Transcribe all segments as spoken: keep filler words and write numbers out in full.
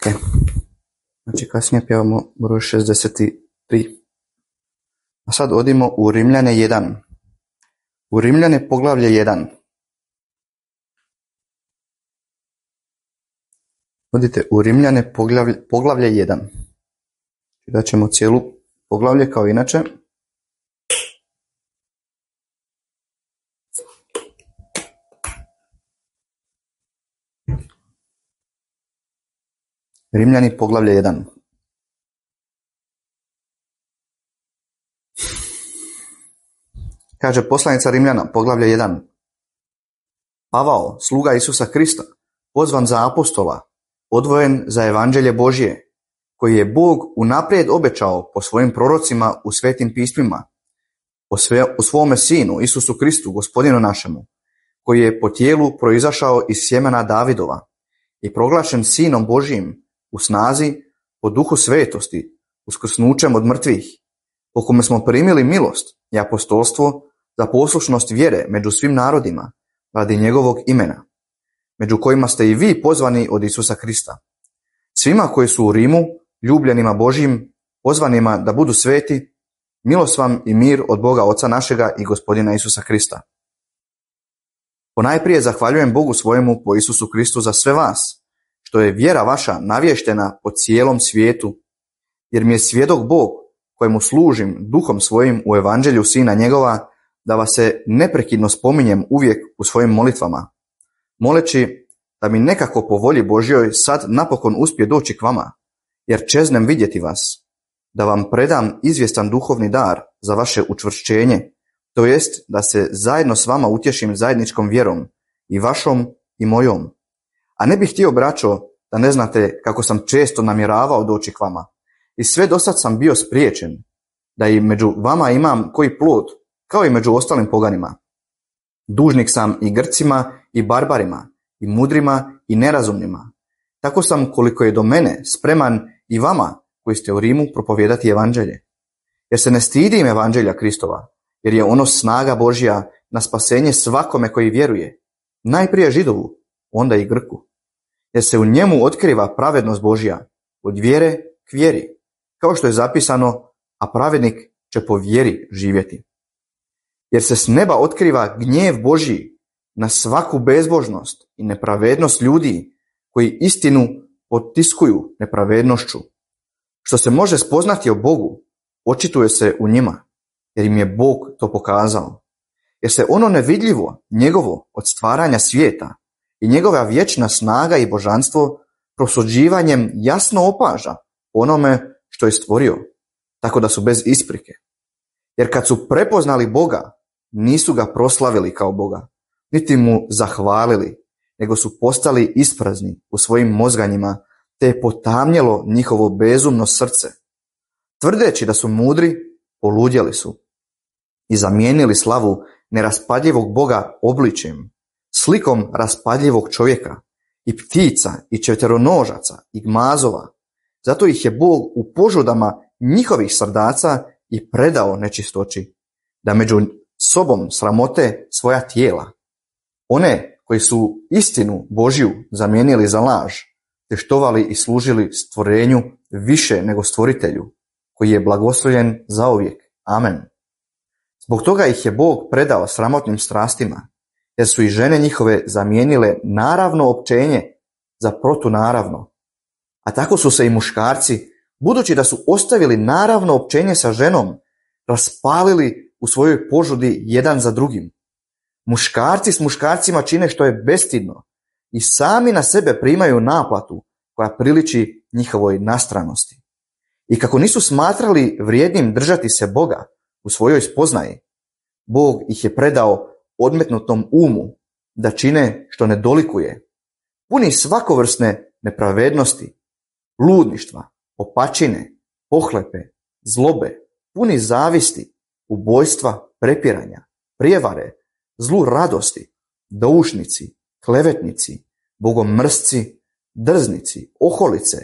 Znači kasnije pjevamo broj šezdeset tri. A sad odimo u Rimljane jedan. U Rimljane poglavlje jedan. Odite u Rimljane poglavlje, poglavlje jedan. Čitat ćemo cijelu poglavlje kao inače. Rimljani poglavlje jedan. Kaže poslanica Rimljana poglavlje jedan. Pavao, sluga Isusa Krista, pozvan za apostola, odvojen za evanđelje Božje, koji je Bog unaprijed obećao po svojim prorocima u svetim pismima, o, sve, o svome sinu Isusu Kristu, gospodinu našemu, koji je po tijelu proizašao iz sjemena Davidova i proglašen sinom Božjim u snazi po duhu svetosti, uskrsnućem od mrtvih, po kome smo primili milost i apostolstvo za poslušnost vjere među svim narodima, radi njegovog imena, među kojima ste i vi pozvani od Isusa Krista. Svima koji su u Rimu, ljubljenima Božjim, pozvanima da budu sveti, milost vam i mir od Boga Oca našega i Gospodina Isusa Krista. Ponajprije zahvaljujem Bogu svojemu po Isusu Kristu za sve vas, što je vjera vaša navještena po cijelom svijetu, jer mi je svjedok Bog, kojemu služim duhom svojim u evanđelju sina njegova, da vas se neprekidno spominjem uvijek u svojim molitvama, moleći da mi nekako po volji Božjoj sad napokon uspije doći k vama, jer čeznem vidjeti vas, da vam predam izvjestan duhovni dar za vaše učvršćenje, to jest da se zajedno s vama utješim zajedničkom vjerom, i vašom i mojom. A ne bih htio, braćo, da ne znate kako sam često namjeravao doći k vama, i sve dosad sam bio spriječen, da i među vama imam koji plod, kao i među ostalim poganima. Dužnik sam i Grcima i barbarima, i mudrima i nerazumnima. Tako sam, koliko je do mene, spreman i vama koji ste u Rimu propovijedati evanđelje. Jer se ne stidim evanđelja Kristova, jer je ono snaga Božja na spasenje svakome koji vjeruje, najprije Židovu, onda i Grku. Jer se u njemu otkriva pravednost Božja, od vjere k vjeri, kao što je zapisano, a pravednik će po vjeri živjeti. Jer se s neba otkriva gnjev Božji na svaku bezbožnost i nepravednost ljudi koji istinu potiskuju nepravednošću. Što se može spoznati o Bogu, očituje se u njima, jer im je Bog to pokazao. Jer se ono nevidljivo, njegovo od stvaranja svijeta i njegova vječna snaga i božanstvo prosuđivanjem jasno opaža onome što je stvorio, tako da su bez isprike. Jer kad su prepoznali Boga, nisu ga proslavili kao Boga, niti mu zahvalili, nego su postali isprazni u svojim mozganjima, te je potamnjelo njihovo bezumno srce. Tvrdeći da su mudri, poludjeli su i zamijenili slavu neraspadljivog Boga obličjem, slikom raspadljivog čovjeka, i ptica, i četveronožaca, i gmazova. Zato ih je Bog u požudama njihovih srdaca i predao nečistoći, da među sobom sramote svoja tijela. One koji su istinu Božju zamijenili za laž, te štovali i služili stvorenju više nego stvoritelju, koji je blagoslovljen zauvijek. Amen. Zbog toga ih je Bog predao sramotnim strastima, jer su i žene njihove zamijenile naravno općenje za protunaravno. A tako su se i muškarci, budući da su ostavili naravno općenje sa ženom, raspalili u svojoj požudi jedan za drugim. Muškarci s muškarcima čine što je bestidno i sami na sebe primaju naplatu koja priliči njihovoj nastranosti. I kako nisu smatrali vrijednim držati se Boga u svojoj spoznaji, Bog ih je predao odmetnutom umu da čine što ne dolikuje, puni svakovrsne nepravednosti, ludništva, opačine, pohlepe, zlobe, puni zavisti, ubojstva, prepiranja, prijevare, zlu radosti, doušnici, klevetnici, bogomrsci, drznici, oholice,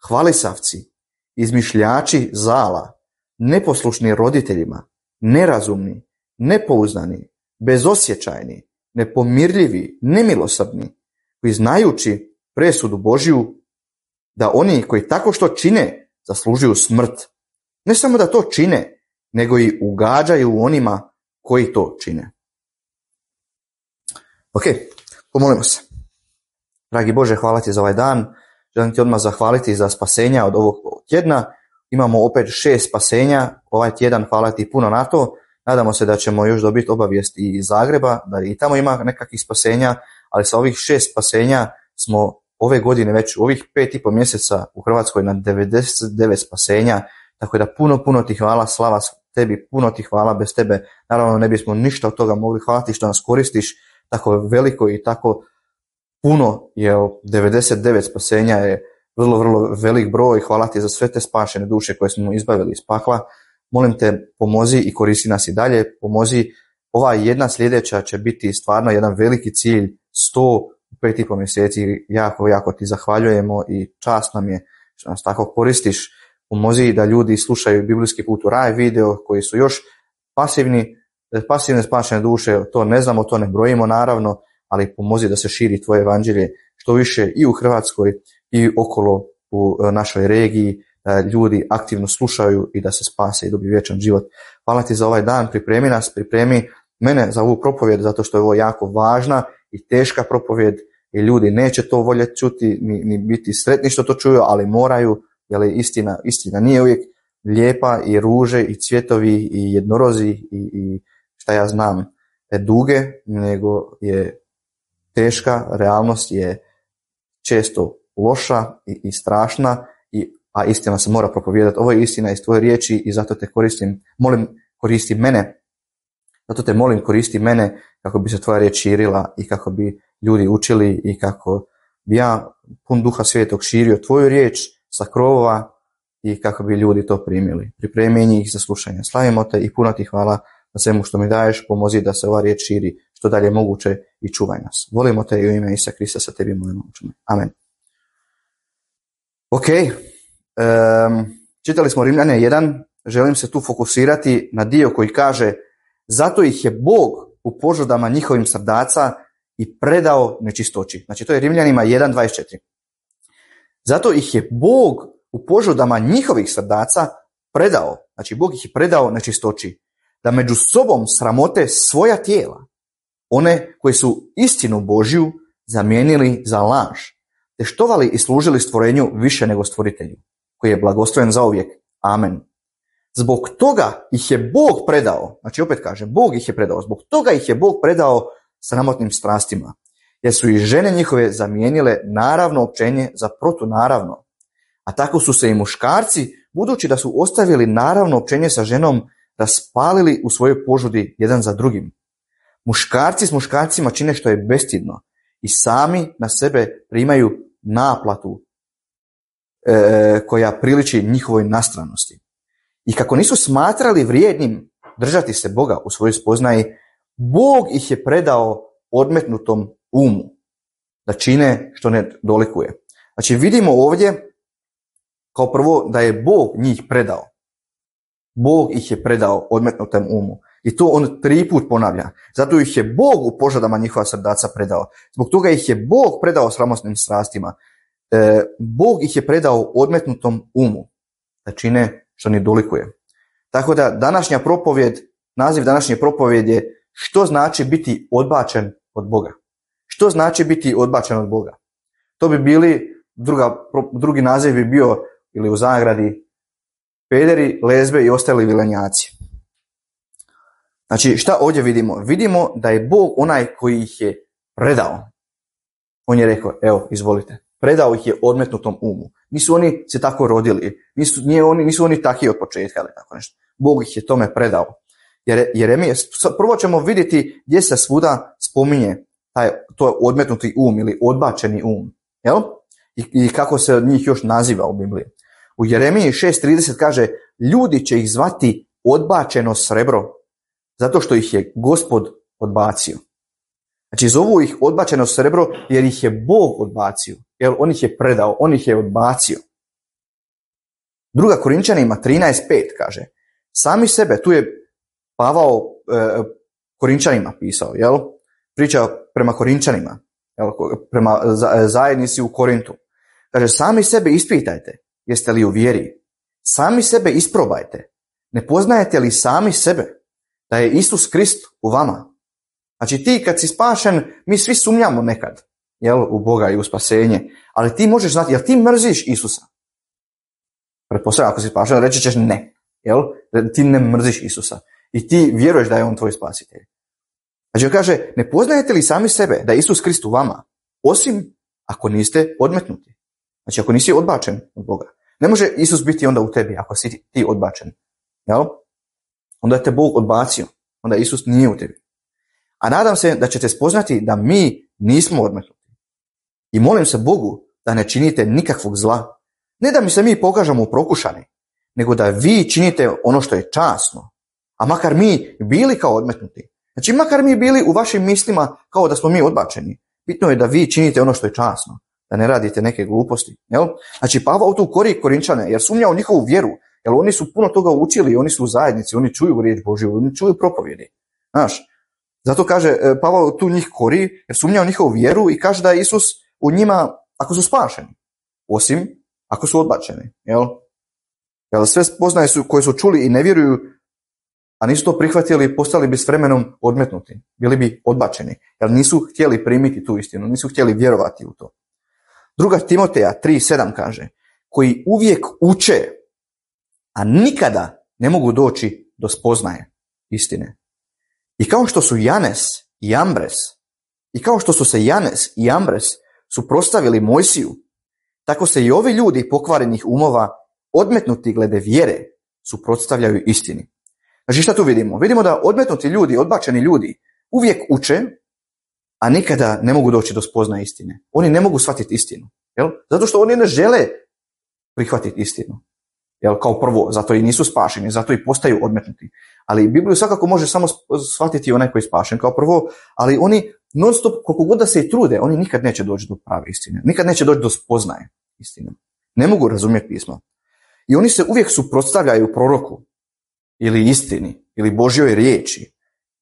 hvalisavci, izmišljači zala, neposlušni roditeljima, nerazumni, nepouzdani, bezosjećajni, nepomirljivi, nemilosrdni, koji znajući presudu Božju da oni koji tako što čine zaslužuju smrt. Ne samo da to čine, nego i ugađaju onima koji to čine. Ok, pomolimo se. Dragi Bože, hvala ti za ovaj dan. Želim ti odmah zahvaliti za spasenja od ovog tjedna. Imamo opet šest spasenja ovaj tjedan, hvala ti puno na to. Nadamo se da ćemo još dobiti obavijest i iz Zagreba, da i tamo ima nekakvih spasenja, ali sa ovih šest spasenja smo ove godine već u ovih pet i pol mjeseca u Hrvatskoj na devedeset devet spasenja, tako da puno, puno ti hvala, slava tebi, puno ti hvala, bez tebe naravno ne bismo ništa od toga mogli. Hvala ti što nas koristiš tako veliko i tako puno, jer devedeset devet spasenja je vrlo, vrlo velik broj. Hvala ti za sve te spašene duše koje smo izbavili iz pakla. Molim te, pomozi i koristi nas i dalje, pomozi. Ova jedna sljedeća će biti stvarno jedan veliki cilj, sto u pet i pol mjeseci. Jako, jako ti zahvaljujemo i čast nam je što nas tako koristiš. Pomozi da ljudi slušaju Biblijski put u raj video koji su još pasivni, pasivne spašene duše, to ne znamo, to ne brojimo naravno, ali pomozi da se širi tvoje evanđelje što više i u Hrvatskoj i okolo u našoj regiji, da ljudi aktivno slušaju i da se spase i dobiju vječan život. Hvala ti za ovaj dan, pripremi nas, pripremi mene za ovu propovjed, zato što je ovo jako važna i teška propovjed i ljudi neće to voljeti čuti, ni, ni biti sretni što to čuju, ali moraju, jer je istina, istina nije uvijek lijepa i ruže i cvjetovi i jednorozi i, i šta ja znam duge, nego je teška, realnost je često loša i, i strašna, i, a istina se mora propovijedati. Ovo je istina iz tvoje riječi i zato te koristim, molim koristi mene, zato te molim koristi mene kako bi se tvoja riječ širila i kako bi ljudi učili i kako bi ja pun Duha Svetog širio tvoju riječ sa krovova i kako bi ljudi to primili. Pripremi njih za slušanje. Slavimo te i puno ti hvala na svemu što mi daješ, pomozi da se ova riječ širi što dalje moguće i čuvaj nas. Volimo te i u ime Isusa Krista sa tebi molimo. Amen. Ok, um, čitali smo Rimljane jedan, želim se tu fokusirati na dio koji kaže: zato ih je Bog u požudama njihovim srdaca i predao nečistoći. Znači to je Rimljanima jedan dvadeset četiri. Zato ih je Bog u požudama njihovih srdaca predao, znači Bog ih je predao nečistoći, da među sobom sramote svoja tijela, one koji su istinu Božju zamijenili za laž, te štovali i služili stvorenju više nego stvoritelju, koji je blagosloven zauvijek. Amen. Zbog toga ih je Bog predao, znači opet kaže, Bog ih je predao, zbog toga ih je Bog predao sramotnim strastima, jer su i žene njihove zamijenile naravno općenje za protunaravno. A tako su se i muškarci, budući da su ostavili naravno općenje sa ženom, raspalili u svojoj požudi jedan za drugim. Muškarci s muškarcima čine što je bestidno i sami na sebe primaju naplatu e, koja priliči njihovoj nastranosti. I kako nisu smatrali vrijednim držati se Boga u svojoj spoznaji, Bog ih je predao odmetnutom umu da čine što ne dolikuje. Znači vidimo ovdje kao prvo da je Bog njih predao. Bog ih je predao odmetnutom umu. I to on tri put ponavlja. Zato ih je Bog u požudama njihova srdaca predao. Zbog toga ih je Bog predao sramotnim strastima. E, Bog ih je predao odmetnutom umu da čine što ne dolikuje. Tako da današnja propovjed, naziv današnje propovjed je što znači biti odbačen od Boga. Što znači biti odbačen od Boga? To bi bili, druga, drugi naziv bi bio ili u zagradi pederi, lezbe i ostali vilenjaci. Znači šta ovdje vidimo? Vidimo da je Bog onaj koji ih je predao. On je rekao, evo, izvolite. Predao ih je odmetnutom umu. Nisu oni se tako rodili. Nisu, nije oni, nisu oni takvi od početka ili tako nešto. Bog ih je tome predao. Jer, Jeremija, prvo ćemo vidjeti gdje se svuda spominje taj, to odmetnuti um ili odbačeni um. Jel? I, I kako se od njih još naziva u Bibliji. U Jeremiji šest trideset kaže, ljudi će ih zvati odbačeno srebro, zato što ih je Gospod odbacio. Znači zovu ih odbačeno srebro jer ih je Bog odbacio. Jer on ih je predao, on ih je odbacio. Druga Korinčanima trinaest pet kaže, sami sebe, tu je Pavao e, Korinčanima pisao, jel? Priča prema Korinčanima, jel? Prema zajednici u Korintu. Kaže, sami sebe ispitajte, jeste li u vjeri. Sami sebe isprobajte. Ne poznajete li sami sebe da je Isus Krist u vama? Znači ti kad si spašen, mi svi sumnjamo nekad, jel, u Boga i u spasenje, ali ti možeš znati, jel ti mrziš Isusa? Pretpostavljam, ako si spašen, reći ćeš ne, jel, ti ne mrziš Isusa i ti vjeruješ da je on tvoj spasitelj. Znači kaže, ne poznajete li sami sebe da je Isus Krist u vama, osim ako niste odmetnuti. Znači ako nisi odbačen od Boga. Ne može Isus biti onda u tebi ako si ti odbačen. Jel? Onda je te Bog odbacio. Onda Isus nije u tebi. A nadam se da ćete spoznati da mi nismo odmetnuti. I molim se Bogu da ne činite nikakvog zla. Ne da mi se mi pokažemo prokušani, nego da vi činite ono što je časno. A makar mi bili kao odmetnuti. Znači makar mi bili u vašim mislima kao da smo mi odbačeni. Bitno je da vi činite ono što je časno. Da ne radite neke gluposti. Jel? Znači Pavao tu kori Korinčane jer sumnja u njihovu vjeru. Jer oni su puno toga učili, oni su u zajednici, oni čuju riječ Božju, oni čuju propovjedi. Znaš, zato kaže Pavao tu njih kori jer sumnja u njihovu vjeru i kaže da je Isus u njima ako su spašeni. Osim ako su odbačeni. Jel? Jel sve spoznaje su koje su čuli i ne vjeruju, a nisu to prihvatili, postali bi s vremenom odmetnuti. Bili bi odbačeni. Jer nisu htjeli primiti tu istinu, nisu htjeli vjerovati u to. Druga Timoteja tri sedam kaže, koji uvijek uče, a nikada ne mogu doći do spoznaje istine. I kao što su Janes i Jambres, i kao što su se Janes i Jambres suprotstavili Mojsiju, tako se i ovi ljudi pokvarenih umova, odmetnuti glede vjere, suprotstavljaju istini. Znači šta tu vidimo? Vidimo da odmetnuti ljudi, odbačeni ljudi, uvijek uče, a nikada ne mogu doći do spoznaje istine. Oni ne mogu shvatiti istinu. Jel? Zato što oni ne žele prihvatiti istinu. Jel? Kao prvo, zato i nisu spašeni, zato i postaju odmetnuti. Ali Bibliju svakako može samo shvatiti onaj koji je spašen kao prvo, ali oni non stop, koliko god da se i trude, oni nikad neće doći do prave istine. Nikad neće doći do spoznaje istine. Ne mogu razumjeti pismo. I oni se uvijek suprotstavljaju proroku ili istini ili Božjoj riječi.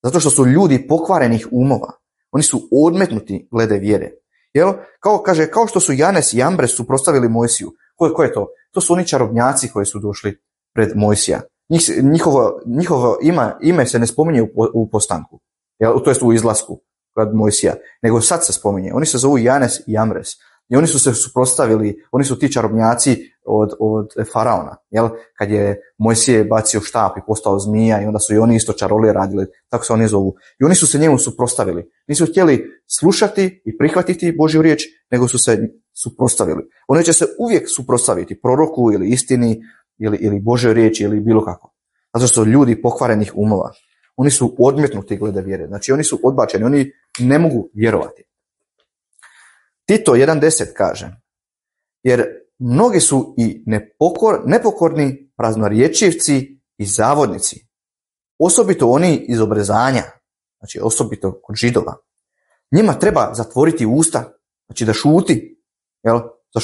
Zato što su ljudi pokvarenih umova. Oni su odmetnuti glede vjere. Jel? Kao, kaže, kao što su Janes i Jambres suprotstavili Mojsiju. Ko, ko je to? To su oni čarobnjaci koji su došli pred Mojsija. Njih, njihovo njihovo ima, ime se ne spominje u, u postanku. Jel? To jest u izlasku kod Mojsija. Nego sad se spominje. Oni se zovu Janes i Jambres. I oni su se suprotstavili, oni su ti čarobnjaci od, od faraona. Jel? Kad je Mojsije bacio štap i postao zmija i onda su i oni isto čarolije radili, tako se oni zovu. I oni su se njemu suprotstavili. Nisu htjeli slušati i prihvatiti Božju riječ, nego su se suprotstavili. Oni će se uvijek suprotstaviti proroku ili istini ili, ili Božjoj riječi ili bilo kako. Zato što su ljudi pokvarenih umova. Oni su odmetnuti glede vjere. Znači oni su odbačeni, oni ne mogu vjerovati. Tito jedan deset kaže, jer mnogi su i nepokor, nepokorni praznorječivci i zavodnici, osobito oni iz obrezanja, znači osobito kod Židova. Njima treba zatvoriti usta, znači da šuti, jel?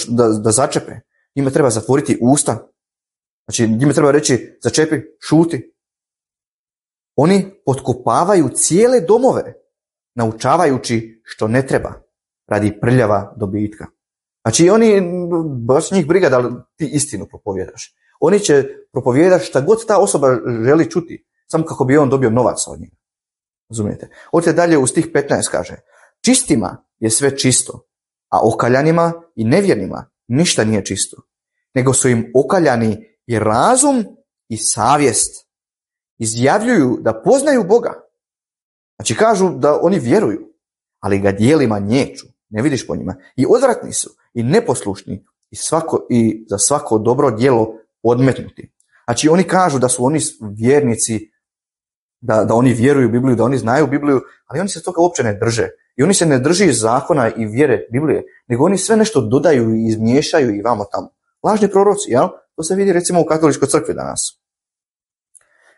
Da, da začepe. Njima treba zatvoriti usta, znači njima treba reći začepi, šuti. Oni potkopavaju cijele domove, naučavajući što ne treba, radi prljava dobitka. Znači oni, baš njih briga da ti istinu propovjedaš. Oni će propovijedati šta god ta osoba želi čuti, samo kako bi on dobio novac od njega. Razumijete? Ovdje dalje u stih petnaest kaže, čistima je sve čisto, a okaljanima i nevjernima ništa nije čisto, nego su im okaljani i razum i savjest. Izjavljuju da poznaju Boga. Znači kažu da oni vjeruju, ali ga dijelima nječu. Ne vidiš po njima. I odvratni su, i neposlušni, i, svako, i za svako dobro djelo odmetnuti. Znači oni kažu da su oni vjernici, da, da oni vjeruju u Bibliju, da oni znaju Bibliju, ali oni se toga uopće ne drže. I oni se ne drži zakona i vjere Biblije, nego oni sve nešto dodaju i izmiješaju i vamo tamo. Lažni proroci, jel? To se vidi recimo u katoličkoj crkvi danas.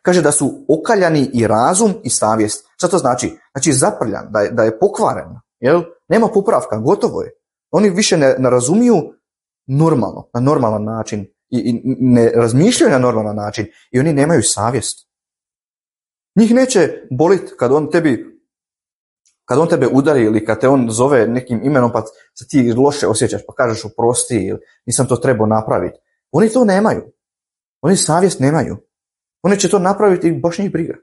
Kaže da su okaljani i razum i savjest. Šta to znači? Znači zaprljan, da je, da je pokvaren. Jel? Nema popravka, gotovo je. Oni više ne, ne razumiju normalno, na normalan način i, i ne razmišljaju na normalan način i oni nemaju savjest. Njih neće boliti kad on tebi kad on tebe udari ili kad te on zove nekim imenom pa se ti loše osjećaš pa kažeš oprosti ili nisam to trebao napraviti. Oni to nemaju. Oni savjest nemaju. Oni će to napraviti i baš njih briga.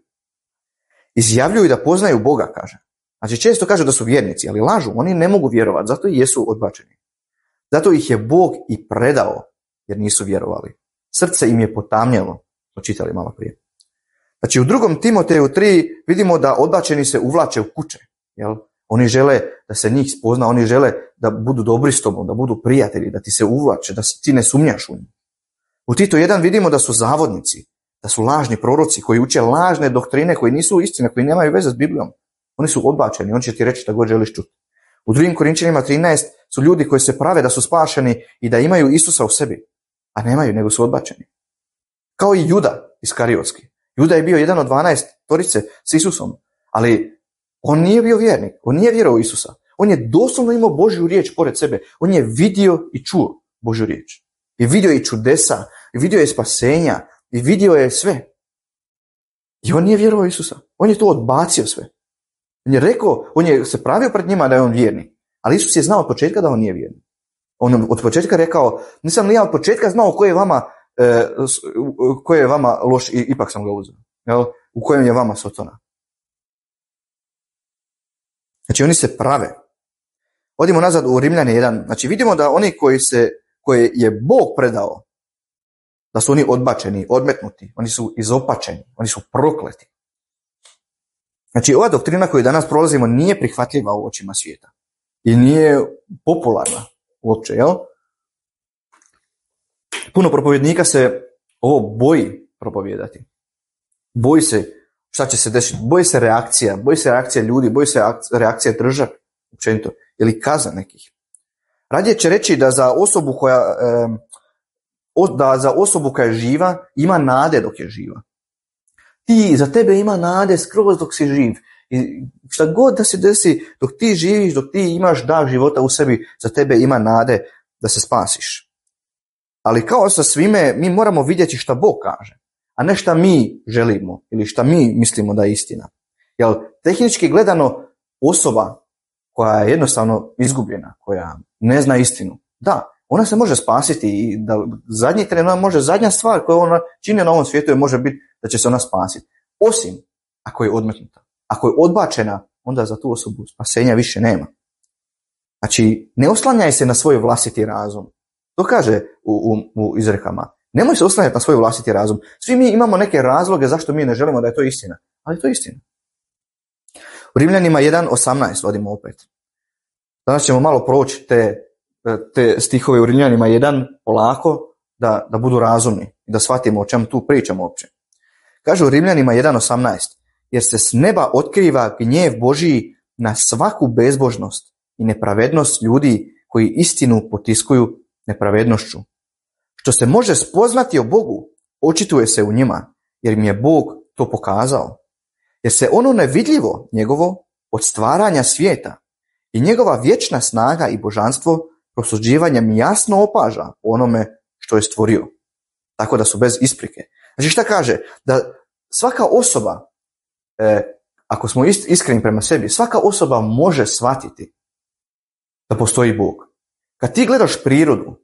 Izjavljuju da poznaju Boga, kaže. Znači često kažu da su vjernici, ali lažu. Oni ne mogu vjerovati, zato i jesu odbačeni. Zato ih je Bog i predao, jer nisu vjerovali. Srce im je potamnjelo. To čitali malo prije. Znači u drugom Timoteju tri vidimo da odbačeni se uvlače u kuće. Jel? Oni žele da se njih spozna, oni žele da budu dobri s tobom, da budu prijatelji, da ti se uvlače, da ti ne sumnjaš u njih. U Tito jedan vidimo da su zavodnici, da su lažni proroci koji uče lažne doktrine, koji nisu istine, koji nemaju veze s Biblijom. Oni su odbačeni, on će ti reći šta god želiš čuti. U drugim Korinčanima trinaest su ljudi koji se prave da su spašeni i da imaju Isusa u sebi, a nemaju, nego su odbačeni. Kao i Juda Iskariotski. Juda je bio jedan od dvanaest torice s Isusom, ali on nije bio vjernik, on nije vjerovao u Isusa. On je doslovno imao Božju riječ pored sebe. On je vidio i čuo Božju riječ. I vidio je čudesa, i vidio je spasenja, i vidio je sve. I on nije vjerovao u Isusa. On je to odbacio sve. On je rekao, on je se pravio pred njima da je on vjernik. Ali Isus je znao od početka da on nije vjernik. On od početka rekao, nisam li ja od početka znao ko je vama, e, ko je vama loš i ipak sam ga uzeo. Jel? U kojem je vama sotona. Znači oni se prave. Odimo nazad u Rimljane jedan. Znači vidimo da oni koji se, koje je Bog predao, da su oni odbačeni, odmetnuti, oni su izopačeni, oni su prokleti. Znači ova doktrina koju danas prolazimo nije prihvatljiva u očima svijeta. I nije popularna uopće, jel? Puno propovjednika se ovo boji propovijedati. Boji se šta će se desiti, boji se reakcija, boji se reakcija ljudi, boji se reakcija države, općenito, ili kaza nekih. Radije će reći da za osobu koja, da za osobu koja je živa ima nade dok je živa. Ti, za tebe ima nade skroz dok si živ. I šta god da se desi, dok ti živiš, dok ti imaš dah života u sebi, za tebe ima nade da se spasiš. Ali kao sa svime, mi moramo vidjeti šta Bog kaže, a ne šta mi želimo ili šta mi mislimo da je istina. Jer tehnički gledano, osoba koja je jednostavno izgubljena, koja ne zna istinu, da, ona se može spasiti i da zadnji tren, ona može, zadnja stvar koju ona čini na ovom svijetu je može biti da će se ona spasiti. Osim ako je odmetnuta. Ako je odbačena, onda za tu osobu spasenja više nema. Znači, ne oslanjaj se na svoj vlastiti razum. To kaže u, u, u izrekama. Nemoj se oslanjati na svoj vlastiti razum. Svi mi imamo neke razloge zašto mi ne želimo da je to istina. Ali to je istina. U Rimljanima jedan osamnaest odimo opet. Danas ćemo malo proći te, te stihove u Rimljanima jedan polako da, da budu razumni i da shvatimo o čemu tu pričamo uopće. Kaže u Rimljanima jedan osamnaest. Jer se s neba otkriva gnjev Božiji na svaku bezbožnost i nepravednost ljudi koji istinu potiskuju nepravednošću. Što se može spoznati o Bogu, očituje se u njima, jer im je Bog to pokazao. Jer se ono nevidljivo njegovo od stvaranja svijeta i njegova vječna snaga i božanstvo prosuđivanjem jasno opaža onome što je stvorio. Tako da su bez isprike. Znači šta kaže? Da svaka osoba, E, ako smo iskreni prema sebi, svaka osoba može shvatiti da postoji Bog. Kad ti gledaš prirodu,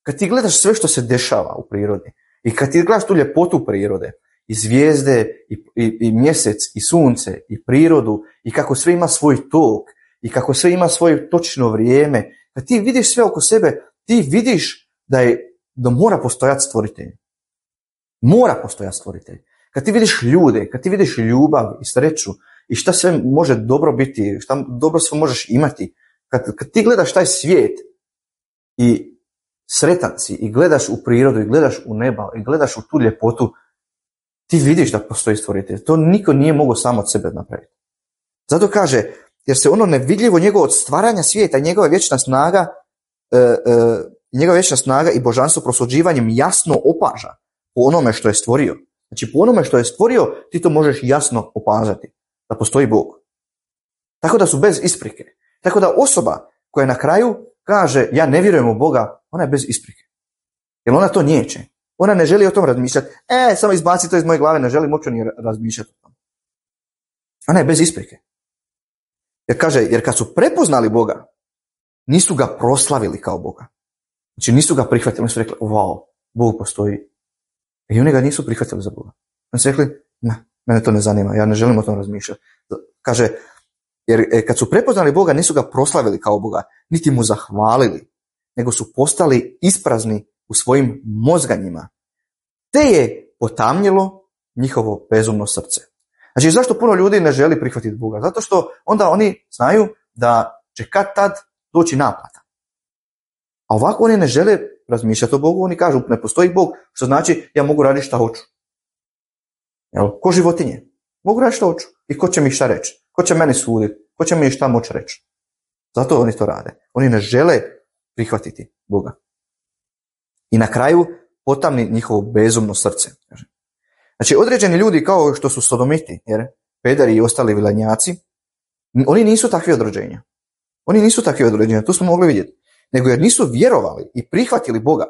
kad ti gledaš sve što se dešava u prirodi i kad ti gledaš tu ljepotu prirode, i zvijezde, i, i, i mjesec, i sunce, i prirodu, i kako sve ima svoj tok, i kako sve ima svoje točno vrijeme, kad ti vidiš sve oko sebe, ti vidiš da, je, da mora postojati stvoritelj. Mora postojati stvoritelj. Kad ti vidiš ljude, kad ti vidiš ljubav i sreću i šta sve može dobro biti, šta dobro sve možeš imati, kad, kad ti gledaš taj svijet i sretan si i gledaš u prirodu i gledaš u neba i gledaš u tu ljepotu, ti vidiš da postoji stvoritelj. To niko nije mogao sam od sebe napraviti. Zato kaže, jer se ono nevidljivo njegovo od stvaranja svijeta, njegova vječna snaga, e, e, njegova vječna snaga i božanstvo prosuđivanjem jasno opaža po onome što je stvorio. Znači, po onome što je stvorio, ti to možeš jasno opazati, da postoji Bog. Tako da su bez isprike. Tako da osoba koja na kraju kaže, ja ne vjerujem u Boga, ona je bez isprike. Jer ona to niječe. Ona ne želi o tom razmišljati. E, samo izbaci to iz moje glave, ne želim uopće ni razmišljati o tom. Ona je bez isprike. Jer kaže, jer kad su prepoznali Boga, nisu ga proslavili kao Boga. Znači nisu ga prihvatili, oni su rekli, wow, Bog postoji. I oni ga nisu prihvatili za Boga. Oni su rekli, ne, mene to ne zanima, ja ne želim o tom razmišljati. Kaže, jer kad su prepoznali Boga, nisu ga proslavili kao Boga, niti mu zahvalili, nego su postali isprazni u svojim mozganjima. Te je potamnilo njihovo bezumno srce. Znači, zašto puno ljudi ne želi prihvatiti Boga? Zato što onda oni znaju da će kad tad doći naplata. A ovako oni ne žele razmišljati o Bogu, oni kažu ne postoji Bog, što znači ja mogu raditi šta hoću. Jel? Ko životinje. Mogu raditi šta hoću. I ko će mi šta reći? Ko će meni suditi? Ko će mi šta moći reći? Zato oni to rade. Oni ne žele prihvatiti Boga. I na kraju potamni njihovo bezumno srce. Znači, određeni ljudi kao što su sodomiti, jer pederi i ostali vilanjaci, oni nisu takvi od rođenja. Oni nisu takvi od rođenja, to smo mogli vidjeti. Nego jer nisu vjerovali i prihvatili Boga,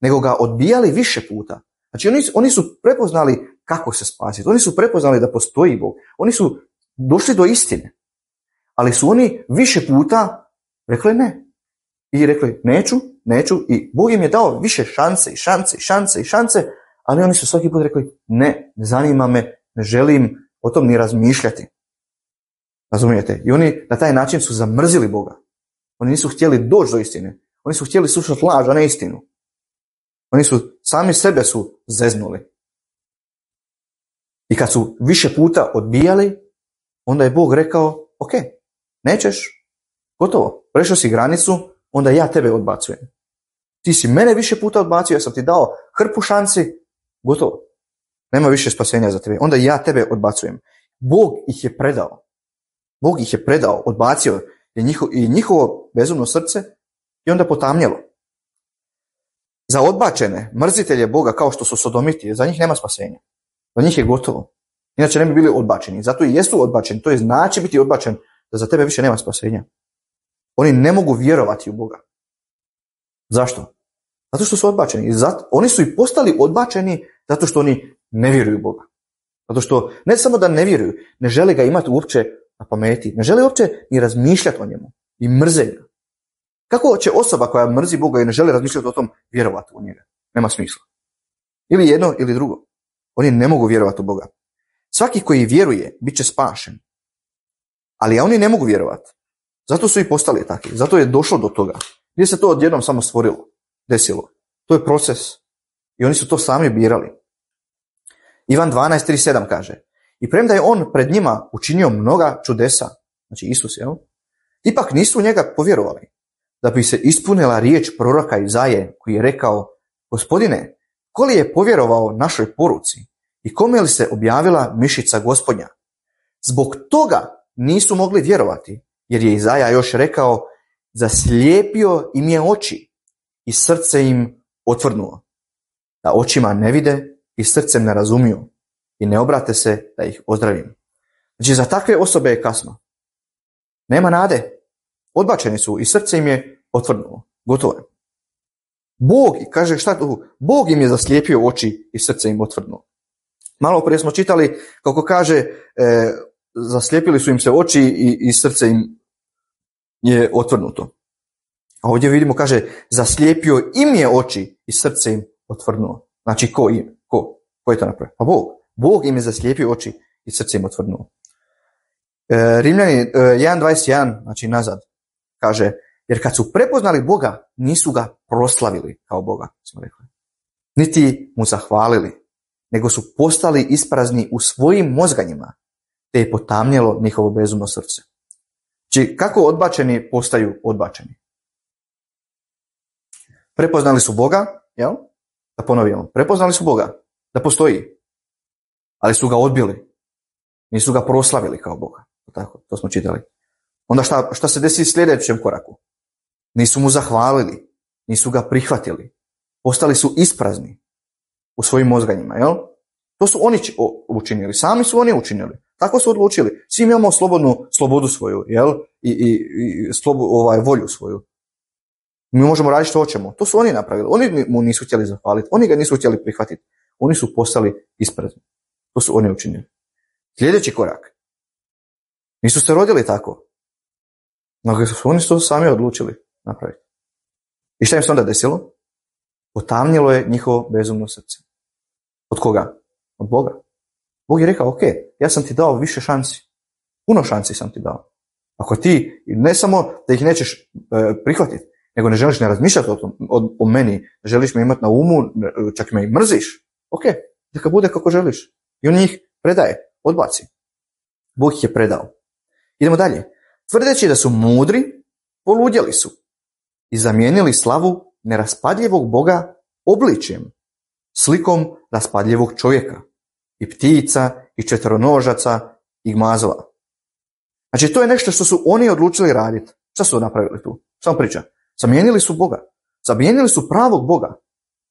nego ga odbijali više puta. Znači, oni, oni su prepoznali kako se spasiti. Oni su prepoznali da postoji Bog. Oni su došli do istine. Ali su oni više puta rekli ne. I rekli neću, neću. I Bog im je dao više šanse i šanse i šanse i šanse, ali oni su svaki put rekli ne, ne zanima me, ne želim o tom ni razmišljati. Razumijete? I oni na taj način su zamrzili Boga. Oni nisu htjeli doći do istine. Oni su htjeli slušati laž, a ne istinu. Oni su sami sebe su zeznuli. I kad su više puta odbijali, onda je Bog rekao, ok, nećeš, gotovo, prešao si granicu, onda ja tebe odbacujem. Ti si mene više puta odbacio, ja sam ti dao hrpu šansi, gotovo. Nema više spasenja za tebe. Onda ja tebe odbacujem. Bog ih je predao. Bog ih je predao, odbacio je njihovo, i njihovo bezumno srce i onda potamnjelo. Za odbačene mrzitelje Boga kao što su sodomiti, za njih nema spasenja. Za njih je gotovo. Inače ne bi bili odbačeni. Zato i jesu odbačeni. To je znači biti odbačen da za tebe više nema spasenja. Oni ne mogu vjerovati u Boga. Zašto? Zato što su odbačeni. I zato, oni su i postali odbačeni zato što oni ne vjeruju u Boga. Zato što ne samo da ne vjeruju, ne žele ga imati uopće na pameti. Ne žele uopće ni razmišljati o njemu. I mrze ga. Kako će osoba koja mrzi Boga i ne žele razmišljati o tom vjerovati u njega? Nema smisla. Ili jedno ili drugo. Oni ne mogu vjerovati u Boga. Svaki koji vjeruje bit će spašen. Ali oni ne mogu vjerovati. Zato su i postali takvi. Zato je došlo do toga. Nije se to odjednom samo stvorilo, desilo. To je proces. I oni su to sami birali. Ivan dvanaest trideset sedam kaže: I premda je on pred njima učinio mnoga čudesa, znači Isus, jel? Ipak nisu u njega povjerovali. Da bi se ispunila riječ proroka Izaje koji je rekao: Gospodine, ko li je povjerovao našoj poruci i kome li se objavila mišica Gospodnja? Zbog toga nisu mogli vjerovati, jer je Izaja još rekao: Zaslijepio im je oči i srce im otvrdnuo, da očima ne vide i srcem ne razumiju i ne obrate se da ih ozdravim. Znači, za takve osobe je kasno. Nema nade. Odbačeni su i srce im je otvrdnulo. Gotovo je. Bog, kaže šta tu? Bog im je zaslijepio oči i srce im otvrdnulo. Malo prije smo čitali kako kaže e, zaslijepili su im se oči i, i srce im je otvrdnuto. A ovdje vidimo, kaže, zaslijepio im je oči i srce im otvrdnulo. Znači, ko im? Ko? Ko je to napravio? Pa Bog. Bog im je zaslijepio oči i srce im otvrdnulo. E, Rimljani e, jedan dvadeset jedan, znači nazad, kaže, jer kad su prepoznali Boga, nisu ga proslavili kao Boga, smo rekli. Niti mu zahvalili, nego su postali isprazni u svojim mozganjima, te je potamnjelo njihovo bezumno srce. Znači, kako odbačeni postaju odbačeni? Prepoznali su Boga, jel? Da ponovimo, prepoznali su Boga, da postoji, ali su ga odbili. Nisu ga proslavili kao Boga. Tako, to smo čitali. Onda šta, šta se desi u sljedećem koraku? Nisu mu zahvalili, nisu ga prihvatili. Postali su isprazni u svojim mozganjima, jel? To su oni učinili, sami su oni učinili. Tako su odlučili. Svi imamo slobodnu slobodu svoju, jel? I, i, i slobu, ovaj, volju svoju. Mi možemo raditi što hoćemo. To su oni napravili. Oni mu nisu htjeli zahvaliti. Oni ga nisu htjeli prihvatiti. Oni su postali isprazni. To su oni učinili. Sljedeći korak. Nisu se rodili tako. No, oni su to sami odlučili napraviti. I šta im se onda desilo? Potamnilo je njihovo bezumno srce. Od koga? Od Boga. Bog je rekao, ok, ja sam ti dao više šansi. Puno šansi sam ti dao. Ako ti, ne samo da ih nećeš e, prihvatiti, nego ne želiš ne razmišljati o, tom, o, o meni, ne želiš me imati na umu, čak me i mrziš, ok, neka bude kako želiš. I on njih predaje, odbaci. Bog ih je predao. Idemo dalje. Tvrdeći da su mudri, poludjeli su i zamijenili slavu neraspadljivog Boga obličjem, slikom raspadljivog čovjeka, i ptica, i četveronožaca, i gmazova. Znači, to je nešto što su oni odlučili raditi. Šta su napravili tu? Samo priča. Zamijenili su Boga. Zamijenili su pravog Boga.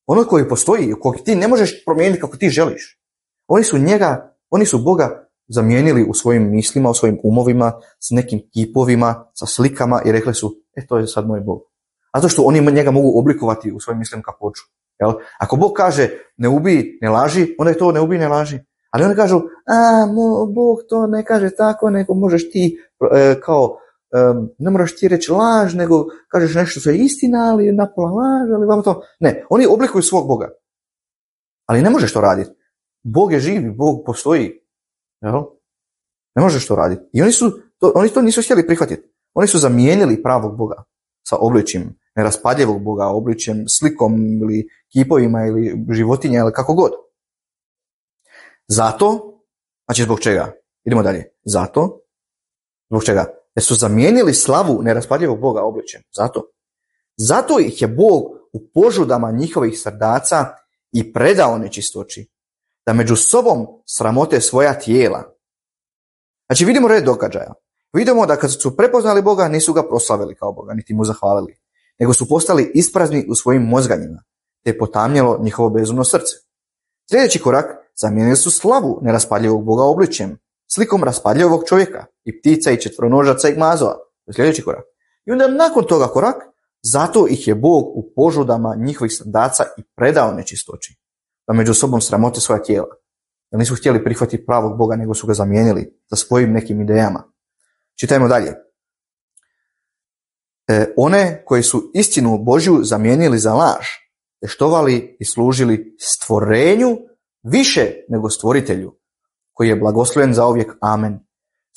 Ono koji postoji, kojeg ti ne možeš promijeniti kako ti želiš. Oni su njega, oni su Boga zamijenili u svojim mislima, u svojim umovima, s nekim kipovima, sa slikama i rekli su, e, to je sad moj Bog. A to što oni njega mogu oblikovati u svojim mislima kako hoću. Jel? Ako Bog kaže ne ubij, ne laži, onda je to ne ubij, ne laži. Ali oni kažu, a, mo, Bog to ne kaže tako, nego možeš ti, e, kao, e, ne moraš ti reći laž, nego kažeš nešto što je istina, ali napola laž, ali vam to. Ne, oni oblikuju svog Boga. Ali ne možeš to raditi. Bog je živ, Bog postoji. Jel? Ne možeš to raditi. I oni su, to, oni to nisu htjeli prihvatiti. Oni su zamijenili pravog Boga sa obličjem neraspadljivog Boga, obličjem, slikom ili kipovima ili životinja ili kako god. Zato, znači zbog čega? Idemo dalje. Zato, zbog čega? Jer su zamijenili slavu neraspadljivog Boga obličjem. Zato. Zato ih je Bog u požudama njihovih srdaca i predao nečistoći, da među sobom sramote svoja tijela. Znači vidimo red događaja. Vidimo da kad su prepoznali Boga, nisu ga proslavili kao Boga, niti mu zahvalili, nego su postali isprazni u svojim mozganjima, te je potamnjelo njihovo bezumno srce. Sljedeći korak, zamijenili su slavu neraspadljivog Boga obličjem, slikom raspadljivog čovjeka, i ptica, i četveronožaca, i gmazova. To je sljedeći korak. I onda nakon toga korak, zato ih je Bog u požudama njihovih srdaca i predao nečistoći, da među sobom sramote svoja tijela. Da nisu htjeli prihvatiti pravog Boga, nego su ga zamijenili sa svojim nekim idejama. Čitajmo dalje. E, one koji su istinu Božju zamijenili za laž, te štovali i služili stvorenju više nego stvoritelju, koji je blagosloven zauvijek. Amen.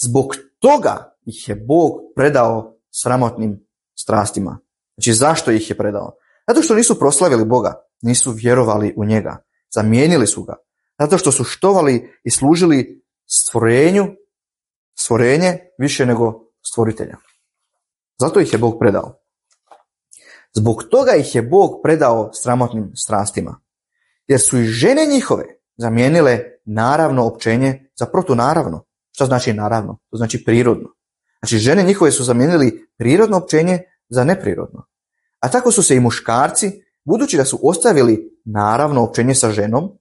Zbog toga ih je Bog predao sramotnim strastima. Znači, zašto ih je predao? Zato što nisu proslavili Boga, nisu vjerovali u njega, zamijenili su ga. Zato što su štovali i služili stvorenju, stvorenje više nego stvoritelja. Zato ih je Bog predao. Zbog toga ih je Bog predao sramotnim strastima. Jer su i žene njihove zamijenile naravno općenje za protunaravno. Šta znači naravno? To znači prirodno. Znači žene njihove su zamijenili prirodno općenje za neprirodno. A tako su se i muškarci, budući da su ostavili naravno općenje sa ženom,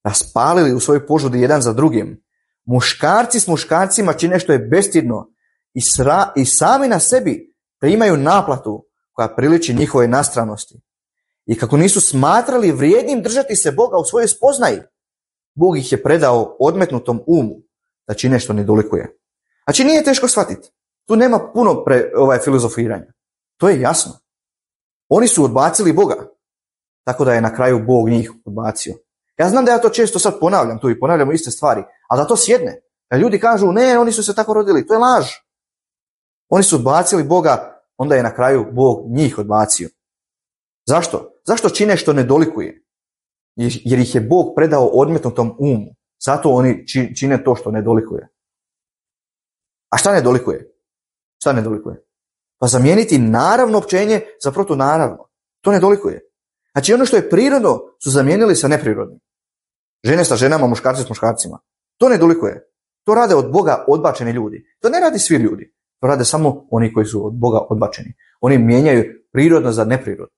raspalili u svojoj požudi jedan za drugim. Muškarci s muškarcima čine što je bestidno i, sra, i sami na sebi primaju naplatu koja priliči njihove nastranosti. I kako nisu smatrali vrijednim držati se Boga u svojoj spoznaji, Bog ih je predao odmetnutom umu da čine što ne dolikuje. Znači nije teško shvatiti. Tu nema puno pre, ovaj, filozofiranja. To je jasno. Oni su odbacili Boga, tako da je na kraju Bog njih odbacio. Ja znam da ja to često sad ponavljam tu i ponavljamo iste stvari, ali da to sjedne. Da ljudi kažu, ne, oni su se tako rodili, to je laž. Oni su odbacili Boga, onda je na kraju Bog njih odbacio. Zašto? Zašto čine što ne dolikuje? Jer ih je Bog predao odmetnutom umu. Zato oni čine to što ne dolikuje. A šta ne dolikuje? Šta ne dolikuje? Pa zamijeniti naravno općenje za protunaravno. To ne dolikuje. Znači ono što je prirodno su zamijenili sa neprirodnim. Žene sa ženama, muškarci s muškarcima. To ne dolikuje. To rade od Boga odbačeni ljudi. To ne radi svi ljudi. To rade samo oni koji su od Boga odbačeni. Oni mijenjaju prirodno za neprirodno.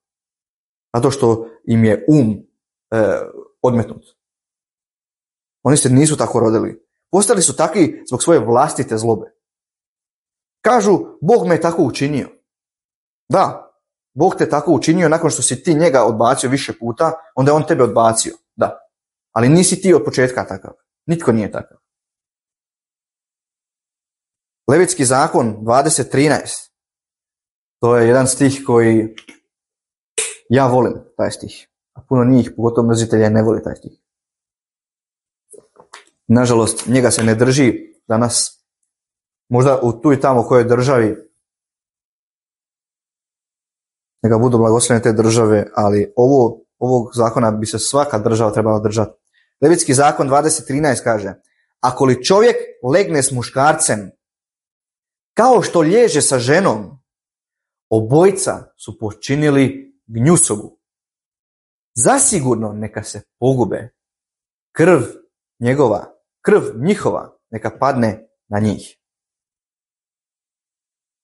Zato što im je um e, odmetnut. Oni se nisu tako rodili. Postali su takvi zbog svoje vlastite zlobe. Kažu, Bog me je tako učinio. Da, Bog te tako učinio nakon što si ti njega odbacio više puta, onda je on tebe odbacio. Da, ali nisi ti od početka takav. Nitko nije takav. Levitski zakon dvadeset trinaest. To je jedan stih koji ja volim, taj stih. A puno njih, pogotovo mrzitelja, ne voli taj stih. Nažalost, njega se ne drži danas. Možda u tu i tamo kojoj državi, neka budu blagoslovene te države, ali ovo, ovog zakona bi se svaka država trebala držati. Levitski zakon dvadeset trinaest kaže: ako li čovjek legne s muškarcem, kao što liježe sa ženom, obojica su počinili gnjusobu. Zasigurno neka se pogube. Krv njegova, krv njihova neka padne na njih.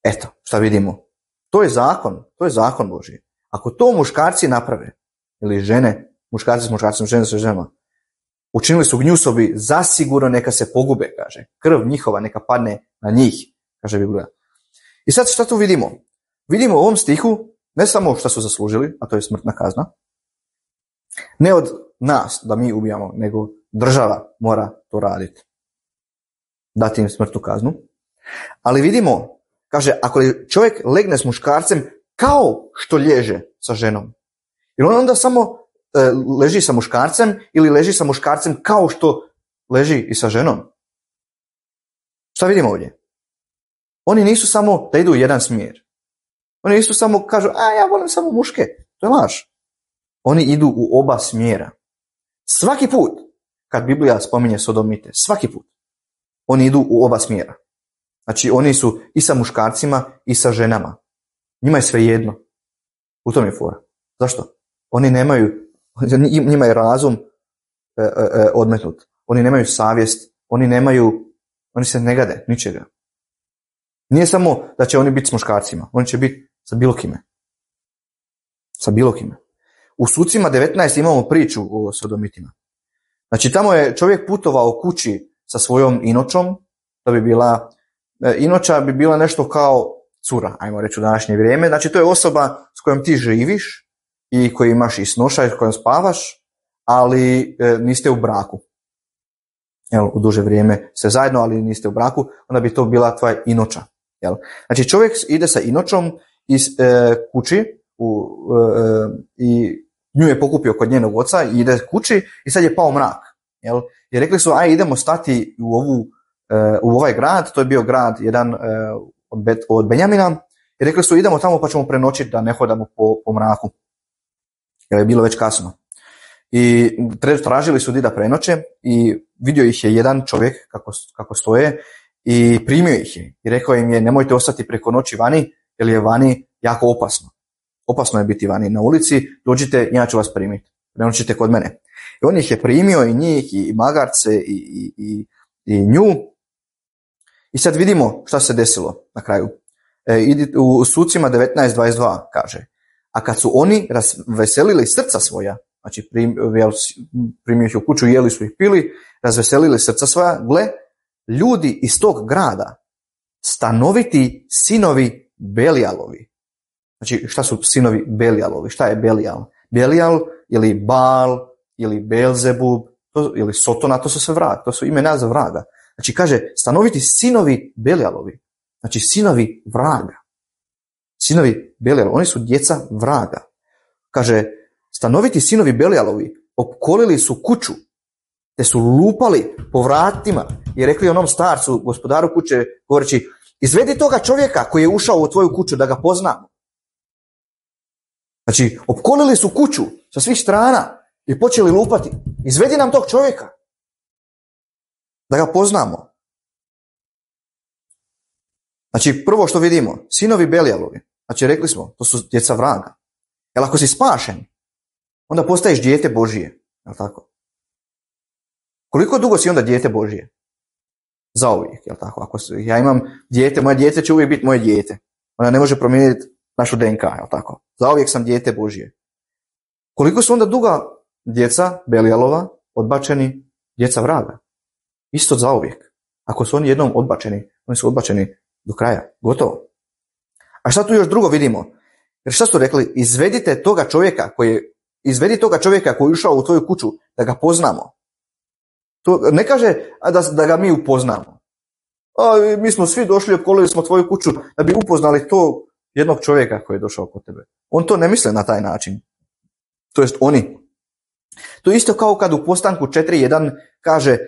Eto, šta vidimo? To je zakon, to je zakon Božji. Ako to muškarci naprave, ili žene, muškarci s muškarcima, žene sa ženama, učinili su gnjusobi, zasigurno neka se pogube, kaže. Krv njihova neka padne na njih, kaže Biblija. I sad šta tu vidimo? Vidimo u ovom stihu ne samo šta su zaslužili, a to je smrtna kazna, ne od nas da mi ubijamo, nego država mora to raditi. Dati im smrtnu kaznu. Ali vidimo, kaže, ako čovjek legne s muškarcem kao što liježe sa ženom. Jer on onda samo e, leži sa muškarcem ili leži sa muškarcem kao što leži i sa ženom. Šta vidimo ovdje? Oni nisu samo da idu u jedan smjer. Oni nisu samo kažu, a ja volim samo muške. To je laž. Oni idu u oba smjera. Svaki put kad Biblija spominje sodomite, svaki put oni idu u oba smjera. Znači oni su i sa muškarcima i sa ženama. Njima je sve jedno. U tom je fora. Zašto? Oni nemaju, njima je razum e, e, odmetnut. Oni nemaju savjest. Oni nemaju, oni se ne gade ničega. Nije samo da će oni biti s muškarcima. Oni će biti sa bilo kime. Sa bilo kime. U Sucima devetnaest imamo priču o sodomitima. Znači tamo je čovjek putovao kući sa svojom inočom, da bi bila, inoča bi bila nešto kao cura, ajmo reći u današnje vrijeme. Znači to je osoba s kojom ti živiš i koji imaš i snoša i s kojom spavaš, ali e, niste u braku. Jel, u duže vrijeme ste zajedno, ali niste u braku, onda bi to bila tvoja inoča. Jel? Znači čovjek ide sa inočom iz e, kući u, e, i nju je pokupio kod njenog oca i ide kući i sad je pao mrak. Jel? I rekli su, aj idemo stati u, ovu, e, u ovaj grad, to je bio grad jedan e, od, Bet, od Benjamina, i rekli su idemo tamo pa ćemo prenoćiti da ne hodamo po, po mraku. Jer je bilo već kasno. I tražili su di da prenoće i vidio ih je jedan čovjek kako, kako stoje i primio ih je. I rekao im je, nemojte ostati preko noći vani, jer je vani jako opasno. Opasno je biti vani na ulici, dođite, ja ću vas primiti. Prenoćite kod mene. I on ih je primio i njih, i magarce, i, i, i, i nju. I sad vidimo šta se desilo na kraju. E, u Sucima devetnaest dvadeset dva kaže, a kad su oni razveselili srca svoja, znači prim, primio ih u kuću, jeli su ih pili, razveselili srca svoja, gle, ljudi iz tog grada, stanoviti sinovi Belijalovi. Znači šta su sinovi Belijalovi? Šta je Belijal? Belijal ili Baal ili Belzebub to, ili Sotona, to su sve vrag, to su imena za vraga. Znači kaže stanoviti sinovi Belijalovi, znači sinovi vraga. Sinovi Belijalovi, oni su djeca vraga. Kaže, stanoviti sinovi Belijalovi opkolili su kuću, te su lupali po vratima i rekli onom starcu, gospodaru kuće, govoreći, izvedi toga čovjeka koji je ušao u tvoju kuću da ga poznamo. Znači, opkolili su kuću sa svih strana i počeli lupati. Izvedi nam tog čovjeka da ga poznamo. Znači, prvo što vidimo, sinovi Belijalovi, znači rekli smo, to su djeca vraga. Jer ako si spašen, onda postaješ dijete Božije. Jel tako? Koliko dugo si onda dijete Božije? Zauvijek, jel tako? Ako ja imam dijete, moje dijete će uvijek biti moje dijete. Ona ne može promijeniti našu D N K, jel tako? Zauvijek sam dijete Božije. Koliko su onda duga djeca Belijalova, odbačeni, djeca vraga? Isto zauvijek. Ako su oni jednom odbačeni, oni su odbačeni do kraja. Gotovo. A šta tu još drugo vidimo? Jer šta su rekli? Izvedite toga čovjeka koji je, izvedi toga čovjeka koji je ušao u tvoju kuću da ga poznamo. To ne kaže da, da ga mi upoznamo. A, mi smo svi došli, opkolili smo tvoju kuću da bi upoznali to jednog čovjeka koji je došao kod tebe. On to ne misle na taj način. To jest oni. To je isto kao kad u Postanku četiri jedan kaže,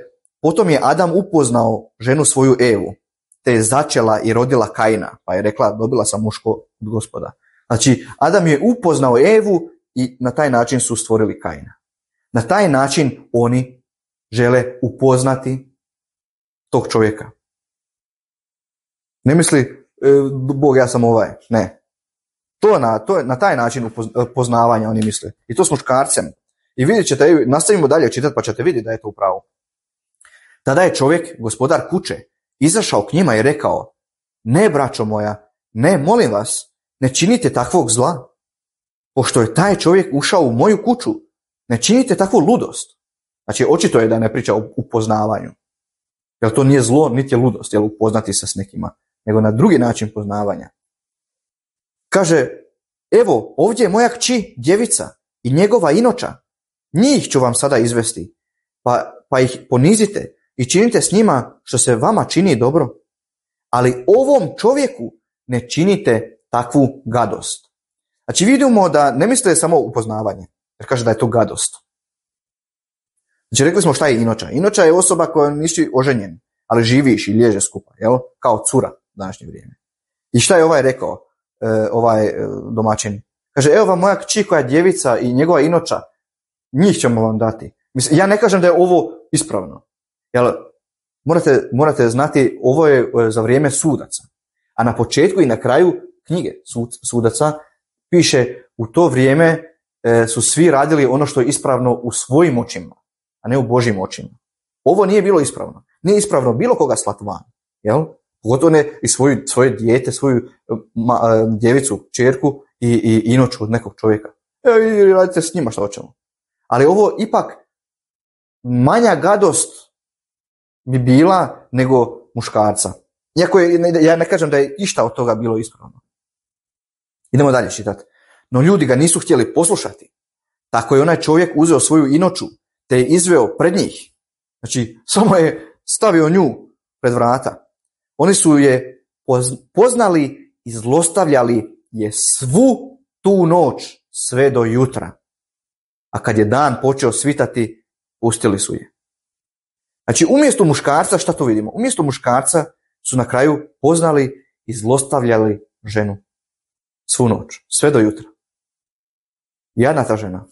potom je Adam upoznao ženu svoju Evu, te je začela i rodila Kaina, pa je rekla, dobila sam muško od Gospoda. Znači, Adam je upoznao Evu i na taj način su stvorili Kaina. Na taj način oni žele upoznati tog čovjeka. Ne misli, e, Bog, ja sam ovaj. Ne. To na, to na taj način upoznavanja oni misle. I to s muškarcem. I vidjet ćete, nastavimo dalje čitati pa ćete vidjeti da je to upravo. Tada je čovjek, gospodar kuće, izašao k njima i rekao, ne, braćo moja, ne, molim vas, ne činite takvog zla. Pošto je taj čovjek ušao u moju kuću, ne činite takvu ludost. Znači, očito je da ne priča o upoznavanju. Jer to nije zlo, niti je ludost, jer upoznati se s nekima, nego na drugi način poznavanja. Kaže, evo, ovdje je moja kći, djevica, i njegova inoča. Njih ću vam sada izvesti, pa, pa ih ponizite i činite s njima što se vama čini dobro. Ali ovom čovjeku ne činite takvu gadost. Znači vidimo da ne mislite samo upoznavanje, jer kaže da je to gadost. Znači rekli smo šta je inoča. Inoča je osoba koja nisi oženjen, ali živiš i liježe skupa, jel? Kao cura u današnje vrijeme. I šta je ovaj rekao, e, ovaj e, domaćin? Kaže, evo vam moja kći koja je djevica i njegova inoča, njih ćemo vam dati. Mislim, ja ne kažem da je ovo ispravno. Jel, morate, morate znati, ovo je za vrijeme sudaca. A na početku i na kraju knjige sud, sudaca piše, u to vrijeme e, su svi radili ono što je ispravno u svojim očima, a ne u Božjim očima. Ovo nije bilo ispravno. Nije ispravno bilo koga slati van. Jel? Pogotovo ne i svoju, svoje dijete, svoju ma, djevicu, čerku i, i inoču od nekog čovjeka. E, i radite s njima što hoćemo. Ali ovo ipak manja gadost bi bila nego muškarca. Iako je, ja ne kažem da je išta od toga bilo ispravno. Idemo dalje čitati. No ljudi ga nisu htjeli poslušati. Tako je onaj čovjek uzeo svoju inoču, te je izveo pred njih. Znači, samo je stavio nju pred vrata. Oni su je poznali i zlostavljali je svu tu noć sve do jutra. A kad je dan počeo svitati, pustili su je. Znači, umjesto muškarca, šta to vidimo? Umjesto muškarca su na kraju poznali i zlostavljali ženu. Svu noć, sve do jutra. Jadna ta žena.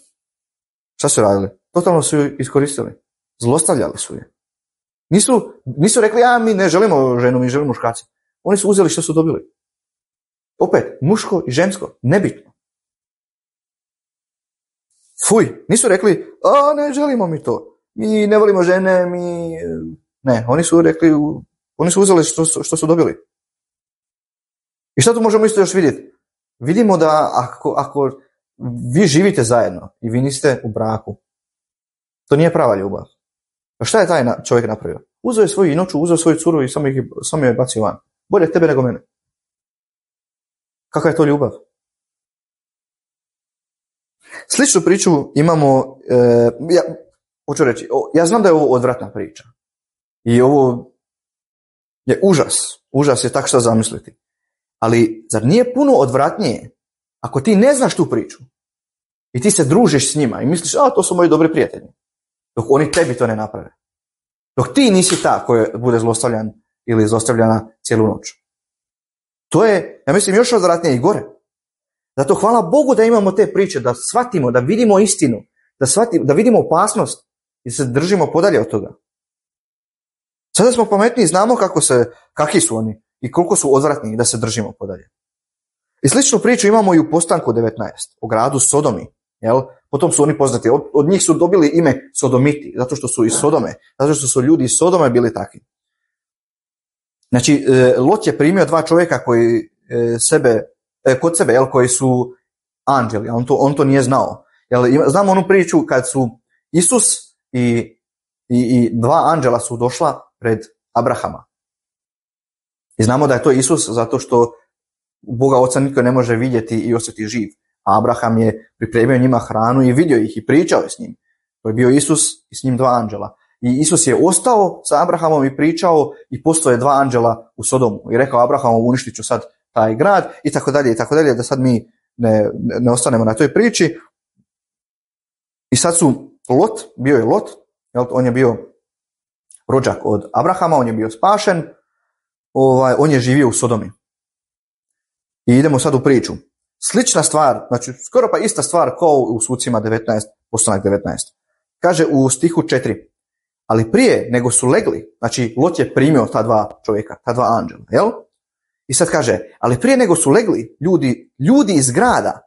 Šta su radili? Totalno su ju iskoristili. Zlostavljali su je. Nisu, nisu rekli, a mi ne želimo ženu, mi želimo muškarca. Oni su uzeli što su dobili. Opet, muško i žensko, nebitno. Fuj, nisu rekli, a ne želimo mi to. Mi ne volimo žene, mi... Ne, oni su rekli, oni su uzeli što, što su dobili. I šta tu možemo isto još vidjeti? Vidimo da ako, ako vi živite zajedno i vi niste u braku, to nije prava ljubav. Pa šta je taj čovjek napravio? Uzeo je svoju inoču, uzeo svoju curu i samo, ih, samo je bacio van. Bolje tebe nego mene. Kakva je to ljubav? Sličnu priču imamo, e, ja, hoću reći, o, ja znam da je ovo odvratna priča. I ovo je užas. Užas je tak što zamisliti. Ali zar nije puno odvratnije ako ti ne znaš tu priču i ti se družiš s njima i misliš, a to su moji dobri prijatelji, dok oni tebi to ne naprave. Dok ti nisi ta koja bude zlostavljan ili zlostavljana cijelu noć. To je, ja mislim, još odvratnije i gore. Zato hvala Bogu da imamo te priče, da shvatimo, da vidimo istinu, da, shvatimo, da vidimo opasnost i da se držimo podalje od toga. Sada smo pametni i znamo kako se, kakvi su oni i koliko su odvratni da se držimo podalje. I sličnu priču imamo i u Postanku devetnaest, o gradu Sodomi. Jel? Potom su oni poznati, od, od njih su dobili ime Sodomiti, zato što su iz Sodome, zato što su ljudi iz Sodome bili takvi. Znači, Lot je primio dva čovjeka koji sebe, kod sebe, jel, koji su anđeli, on to, on to nije znao. Jel, znamo onu priču kad su Isus i, i, i dva anđela su došla pred Abrahama. I znamo da je to Isus zato što Boga Oca niko ne može vidjeti i osjetiti živ. A Abraham je pripremio njima hranu i vidio ih i pričao je s njim. To je bio Isus i s njim dva anđela. I Isus je ostao sa Abrahamom i pričao i postoje dva anđela u Sodomu. I rekao Abrahamu, uništit ću sad taj grad i tako dalje i tako dalje, da sad mi ne, ne ostanemo na toj priči. I sad su Lot, bio je Lot, jel, on je bio rođak od Abrahama, on je bio spašen, ovaj, on je živio u Sodomi. I idemo sad u priču. Slična stvar, znači skoro pa ista stvar kao u Sucima devetnaest, postanak devetnaest. Kaže u stihu četiri. Ali prije nego su legli, znači Lot je primio ta dva čovjeka, ta dva anđela, jel? I sad kaže, ali prije nego su legli ljudi, ljudi iz grada,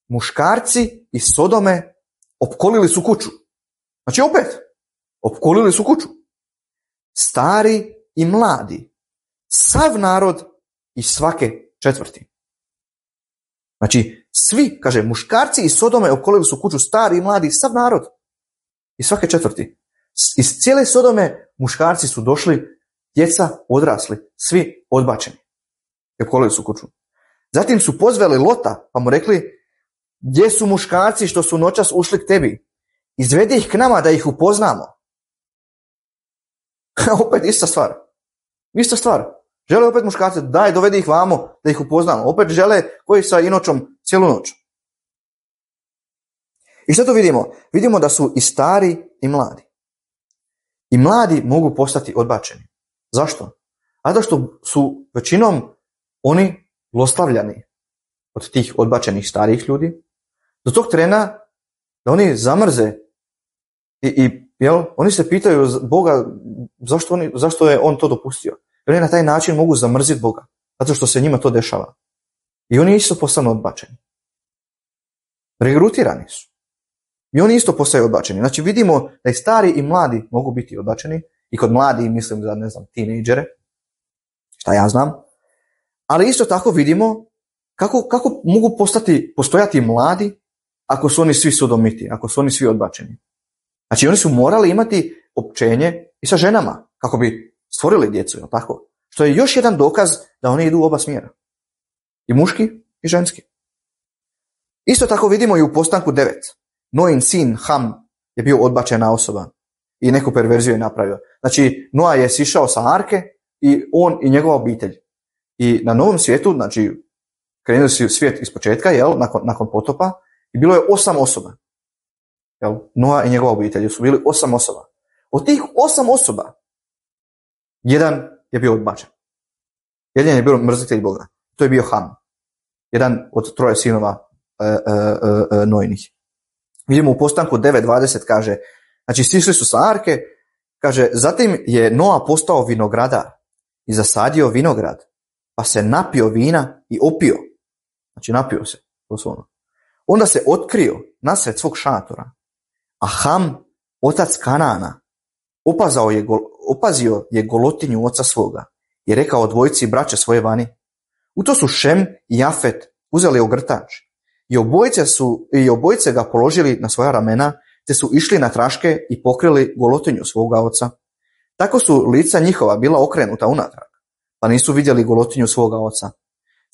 muškarci iz Sodome opkolili su kuću. Znači opet, opkolili su kuću. Stari i mladi, sav narod i svake četvrti. Znači, svi, kaže, muškarci iz Sodome opkolili su kuću, stari i mladi, sav narod i svake četvrti. Iz cijele Sodome muškarci su došli, djeca odrasli, svi odbačeni. I opkolili su kuću. Zatim su pozvali Lota, pa mu rekli, gdje su muškarci što su noćas ušli k tebi? Izvedi ih k nama da ih upoznamo. Opet ista stvar. Ista stvar. Žele opet muškarce, daj dovedi ih vamo da ih upoznamo. Opet žele koji sa inočom cijelu noć. I što to vidimo? Vidimo da su i stari i mladi. I mladi mogu postati odbačeni. Zašto? Zato što su većinom oni zlostavljani od tih odbačenih starijih ljudi. Do tog trena da oni zamrze i, i jel, oni se pitaju Boga zašto, oni, zašto je on to dopustio. I oni na taj način mogu zamrziti Boga. Zato što se njima to dešava. I oni isto postanu odbačeni. Regrutirani su. I oni isto postaju odbačeni. Znači vidimo da i stari i mladi mogu biti odbačeni. I kod mladi mislim za, ne znam, tinejdžere. Šta ja znam. Ali isto tako vidimo kako, kako mogu postati, postojati mladi ako su oni svi sodomiti, ako su oni svi odbačeni. Znači oni su morali imati općenje i sa ženama kako bi stvorili djecu, jel tako? Što je još jedan dokaz da oni idu u oba smjera. I muški i ženski. Isto tako vidimo i u postanku devet. Noin sin Ham je bio odbačena osoba i neku perverziju je napravio. Znači Noa je sišao sa arke i on i njegova obitelj. I na novom svijetu, znači krenuli su svijet iz početka, jel, nakon, nakon potopa, i bilo je osam osoba. Jel, Noa i njegova obitelj su bili osam osoba. Od tih osam osoba, jedan je bio odbačen. Jedan je bio mrzitelj Boga. To je bio Ham. Jedan od troje sinova e, e, e, Noinih. Vidimo u postanku devet dvadeset kaže, znači sišli su sa arke, kaže, zatim je Noa postao vinogradar i zasadio vinograd, pa se napio vina i opio. Znači napio se, doslovno. Onda se otkrio nasred svog šatora, a Ham, otac Kanana, opazao je, opazio je golotinju oca svoga i rekao dvojici braće svoje vani. U to su Šem i Jafet uzeli ogrtač i obojice, su, i obojice ga položili na svoja ramena, te su išli na traške i pokrili golotinju svoga oca. Tako su lica njihova bila okrenuta unatrag, pa nisu vidjeli golotinju svoga oca.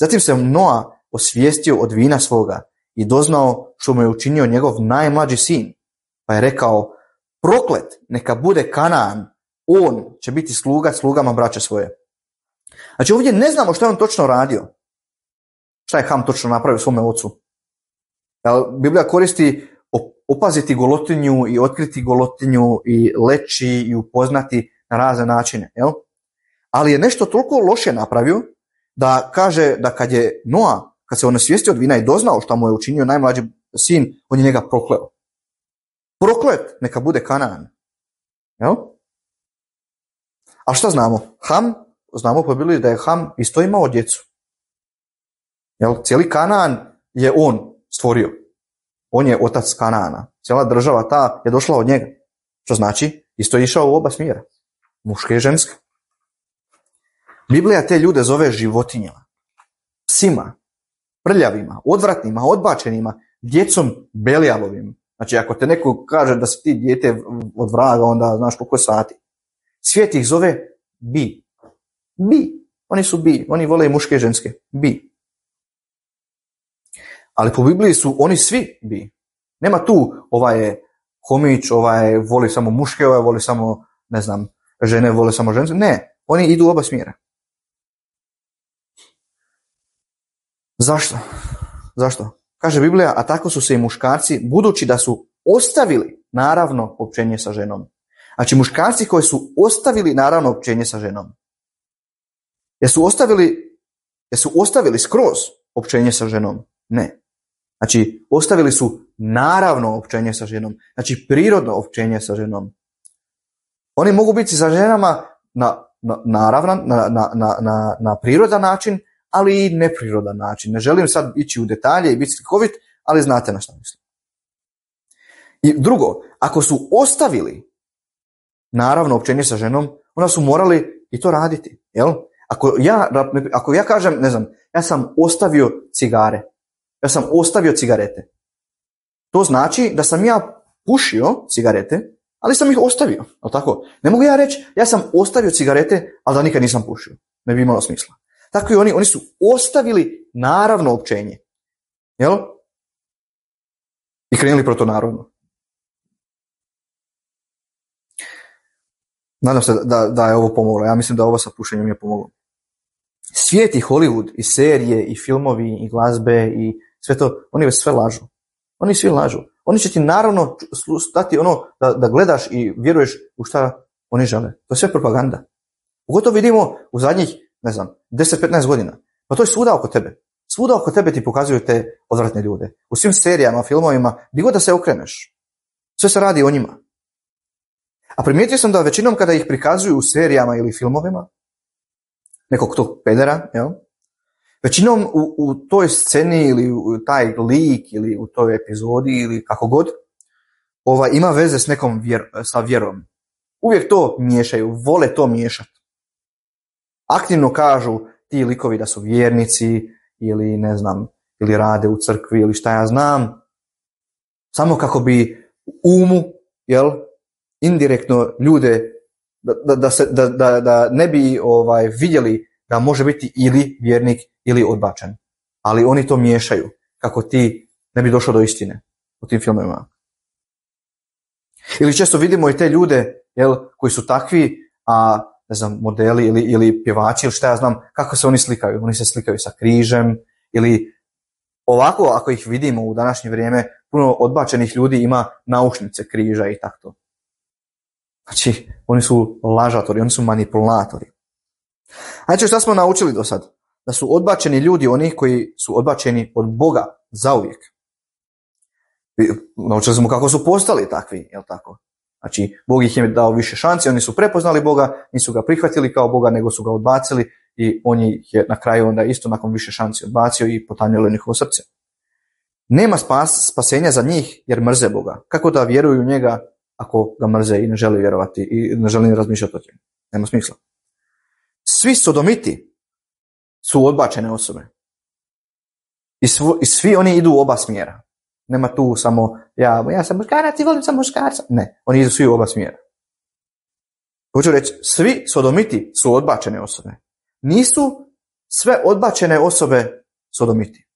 Zatim se Noa osvijestio od vina svoga i doznao što mu je učinio njegov najmlađi sin, pa je rekao, proklet neka bude Kanaan, on će biti sluga slugama braće svoje. Znači ovdje ne znamo što je on točno radio. Šta je Ham točno napravio svome ocu? Biblija koristi opaziti golotinju i otkriti golotinju i leći i upoznati na razne načine. Jel? Ali je nešto toliko loše napravio da kaže da kad je Noa, kad se on osvijestio od vina i doznao što mu je učinio najmlađi sin, on je njega prokleo. Proklet neka bude Kanaan. Jel? A šta znamo? Ham, znamo po Bibliji da je Ham isto imao djecu. Jel? Cijeli Kanaan je on stvorio. On je otac Kanaana. Cijela država ta je došla od njega. Što znači, isto je išao u oba smjera. Muške i ženske. Biblija te ljude zove životinjama, psima, prljavima, odvratnima, odbačenima, djecom Belialovim. Znači, ako te neko kaže da si ti dijete od vraga, onda znaš koliko sati. Svijet ih zove bi. Bi. Oni su bi. Oni vole i muške i ženske. Bi. Ali po Bibliji su oni svi bi. Nema tu ovaj je homić, ovaj voli samo muške, ovaj voli samo, ne znam, žene vole samo ženske. Ne. Oni idu u oba smjera. Zašto? Zašto? Kaže Biblija, a tako su se i muškarci, budući da su ostavili naravno općenje sa ženom. Znači muškarci koji su ostavili naravno općenje sa ženom. Jesu ostavili, jesu ostavili skroz općenje sa ženom? Ne. Znači ostavili su naravno općenje sa ženom. Znači prirodno općenje sa ženom. Oni mogu biti sa ženama na, na, naravno, na, na, na, na, na prirodan način, ali i neprirodan način. Ne želim sad ići u detalje i biti slikovit, ali znate na što mislim. I drugo, ako su ostavili naravno općenje sa ženom, onda su morali i to raditi. Jel? Ako ja, ako ja kažem, ne znam, ja sam ostavio cigare, ja sam ostavio cigarete, to znači da sam ja pušio cigarete, ali sam ih ostavio. Jel tako? Ne mogu ja reći, ja sam ostavio cigarete, ali da nikad nisam pušio. Ne bi imalo smisla. Tako i oni, oni su ostavili naravno općenje. Jel? I krenuli protonarodno. Nadam se da, da je ovo pomoglo. Ja mislim da ovo sa pušenjem je pomoglo. Svijet i Hollywood, i serije, i filmovi, i glazbe, i sve to, oni već sve lažu. Oni svi lažu. Oni će ti naravno dati ono da, da gledaš i vjeruješ u šta oni žele. To je sve propaganda. Pogotovo vidimo u zadnjih, ne znam, deset do petnaest godina. Pa to je svuda oko tebe. Svuda oko tebe ti pokazuju te odvratne ljude. U svim serijama, filmovima, gdje god da se okreneš. Sve se radi o njima. A primijetio sam da većinom kada ih prikazuju u serijama ili filmovima, nekog tog pedera, jel? Većinom u, u toj sceni ili u taj lik ili u toj epizodi ili kako god, ova, ima veze s nekom vjer, sa vjerom. Uvijek to miješaju, vole to miješati. Aktivno kažu ti likovi da su vjernici ili ne znam, ili rade u crkvi ili šta ja znam, samo kako bi umu, jel, indirektno ljude da, da, da, se, da, da, da ne bi ovaj, vidjeli da može biti ili vjernik ili odbačen. Ali oni to miješaju kako ti ne bi došao do istine u tim filmovima. Ili često vidimo i te ljude, jel, koji su takvi, a ne znam, modeli ili, ili pjevači ili šta ja znam, kako se oni slikaju. Oni se slikaju sa križem ili ovako ako ih vidimo u današnje vrijeme, puno odbačenih ljudi ima naušnice križa i tako. Znači, oni su lažatori, oni su manipulatori. Znači, šta smo naučili do sad? Da su odbačeni ljudi oni koji su odbačeni od Boga zauvijek. Naučili smo kako su postali takvi, jel tako? Znači, Bog ih je dao više šansi, oni su prepoznali Boga, nisu ga prihvatili kao Boga, nego su ga odbacili i on ih je na kraju onda isto nakon više šansi odbacio i potanjilo njihovo srce. Nema spas, spasenja za njih jer mrze Boga. Kako da vjeruju u njega ako ga mrze i ne žele vjerovati i ne žele razmišljati o tome? Nema smisla. Svi sodomiti su odbačene osobe. I, svo, i svi oni idu u oba smjera. Nema tu samo, ja, ja sam muškarac i volim sam muškarca. Ne, oni idu svi u oba smjera. Hoću reći, svi sodomiti su odbačene osobe. Nisu sve odbačene osobe sodomiti.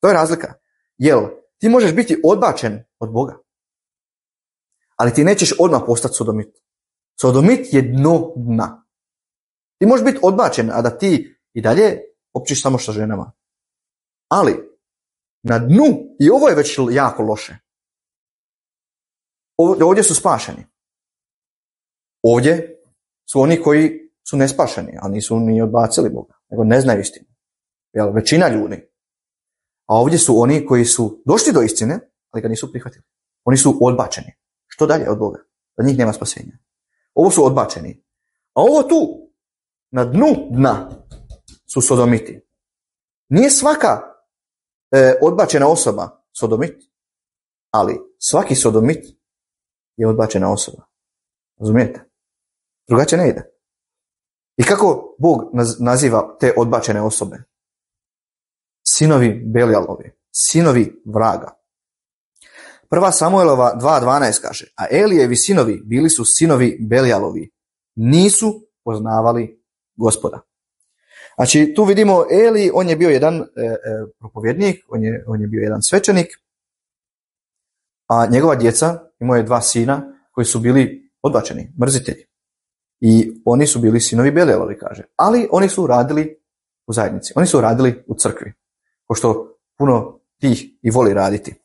To je razlika. Jel, ti možeš biti odbačen od Boga, ali ti nećeš odmah postati sodomit. Sodomit je dno dna. Ti možeš biti odbačen, a da ti i dalje općiš samo sa ženama. Ali na dnu, i ovo je već jako loše, ovdje su spašeni. Ovdje su oni koji su nespašeni, a nisu ni odbacili Boga, nego ne znaju istinu. Jel, većina ljudi. A ovdje su oni koji su došli do istine, ali ga nisu prihvatili. Oni su odbačeni. Što dalje od Boga? Za njih nema spasenja. Ovo su odbačeni. A ovo tu, na dnu dna, su sodomiti. Nije svaka e, odbačena osoba sodomit, ali svaki sodomit je odbačena osoba. Razumijete? Drugačije ne ide. I kako Bog naziva te odbačene osobe? Sinovi Belijalovi, sinovi vraga. Prva Samuelova dva dvanaest kaže, a Elijevi sinovi bili su sinovi Belijalovi, nisu poznavali Gospoda. Znači tu vidimo Eli, on je bio jedan e, e, propovjednik, on je, on je bio jedan svećenik, a njegova djeca, imao je dva sina koji su bili odbačeni, mrzitelji. I oni su bili sinovi Belijalovi, kaže. Ali oni su radili u zajednici, oni su radili u crkvi. Ko pošto puno tih i voli raditi.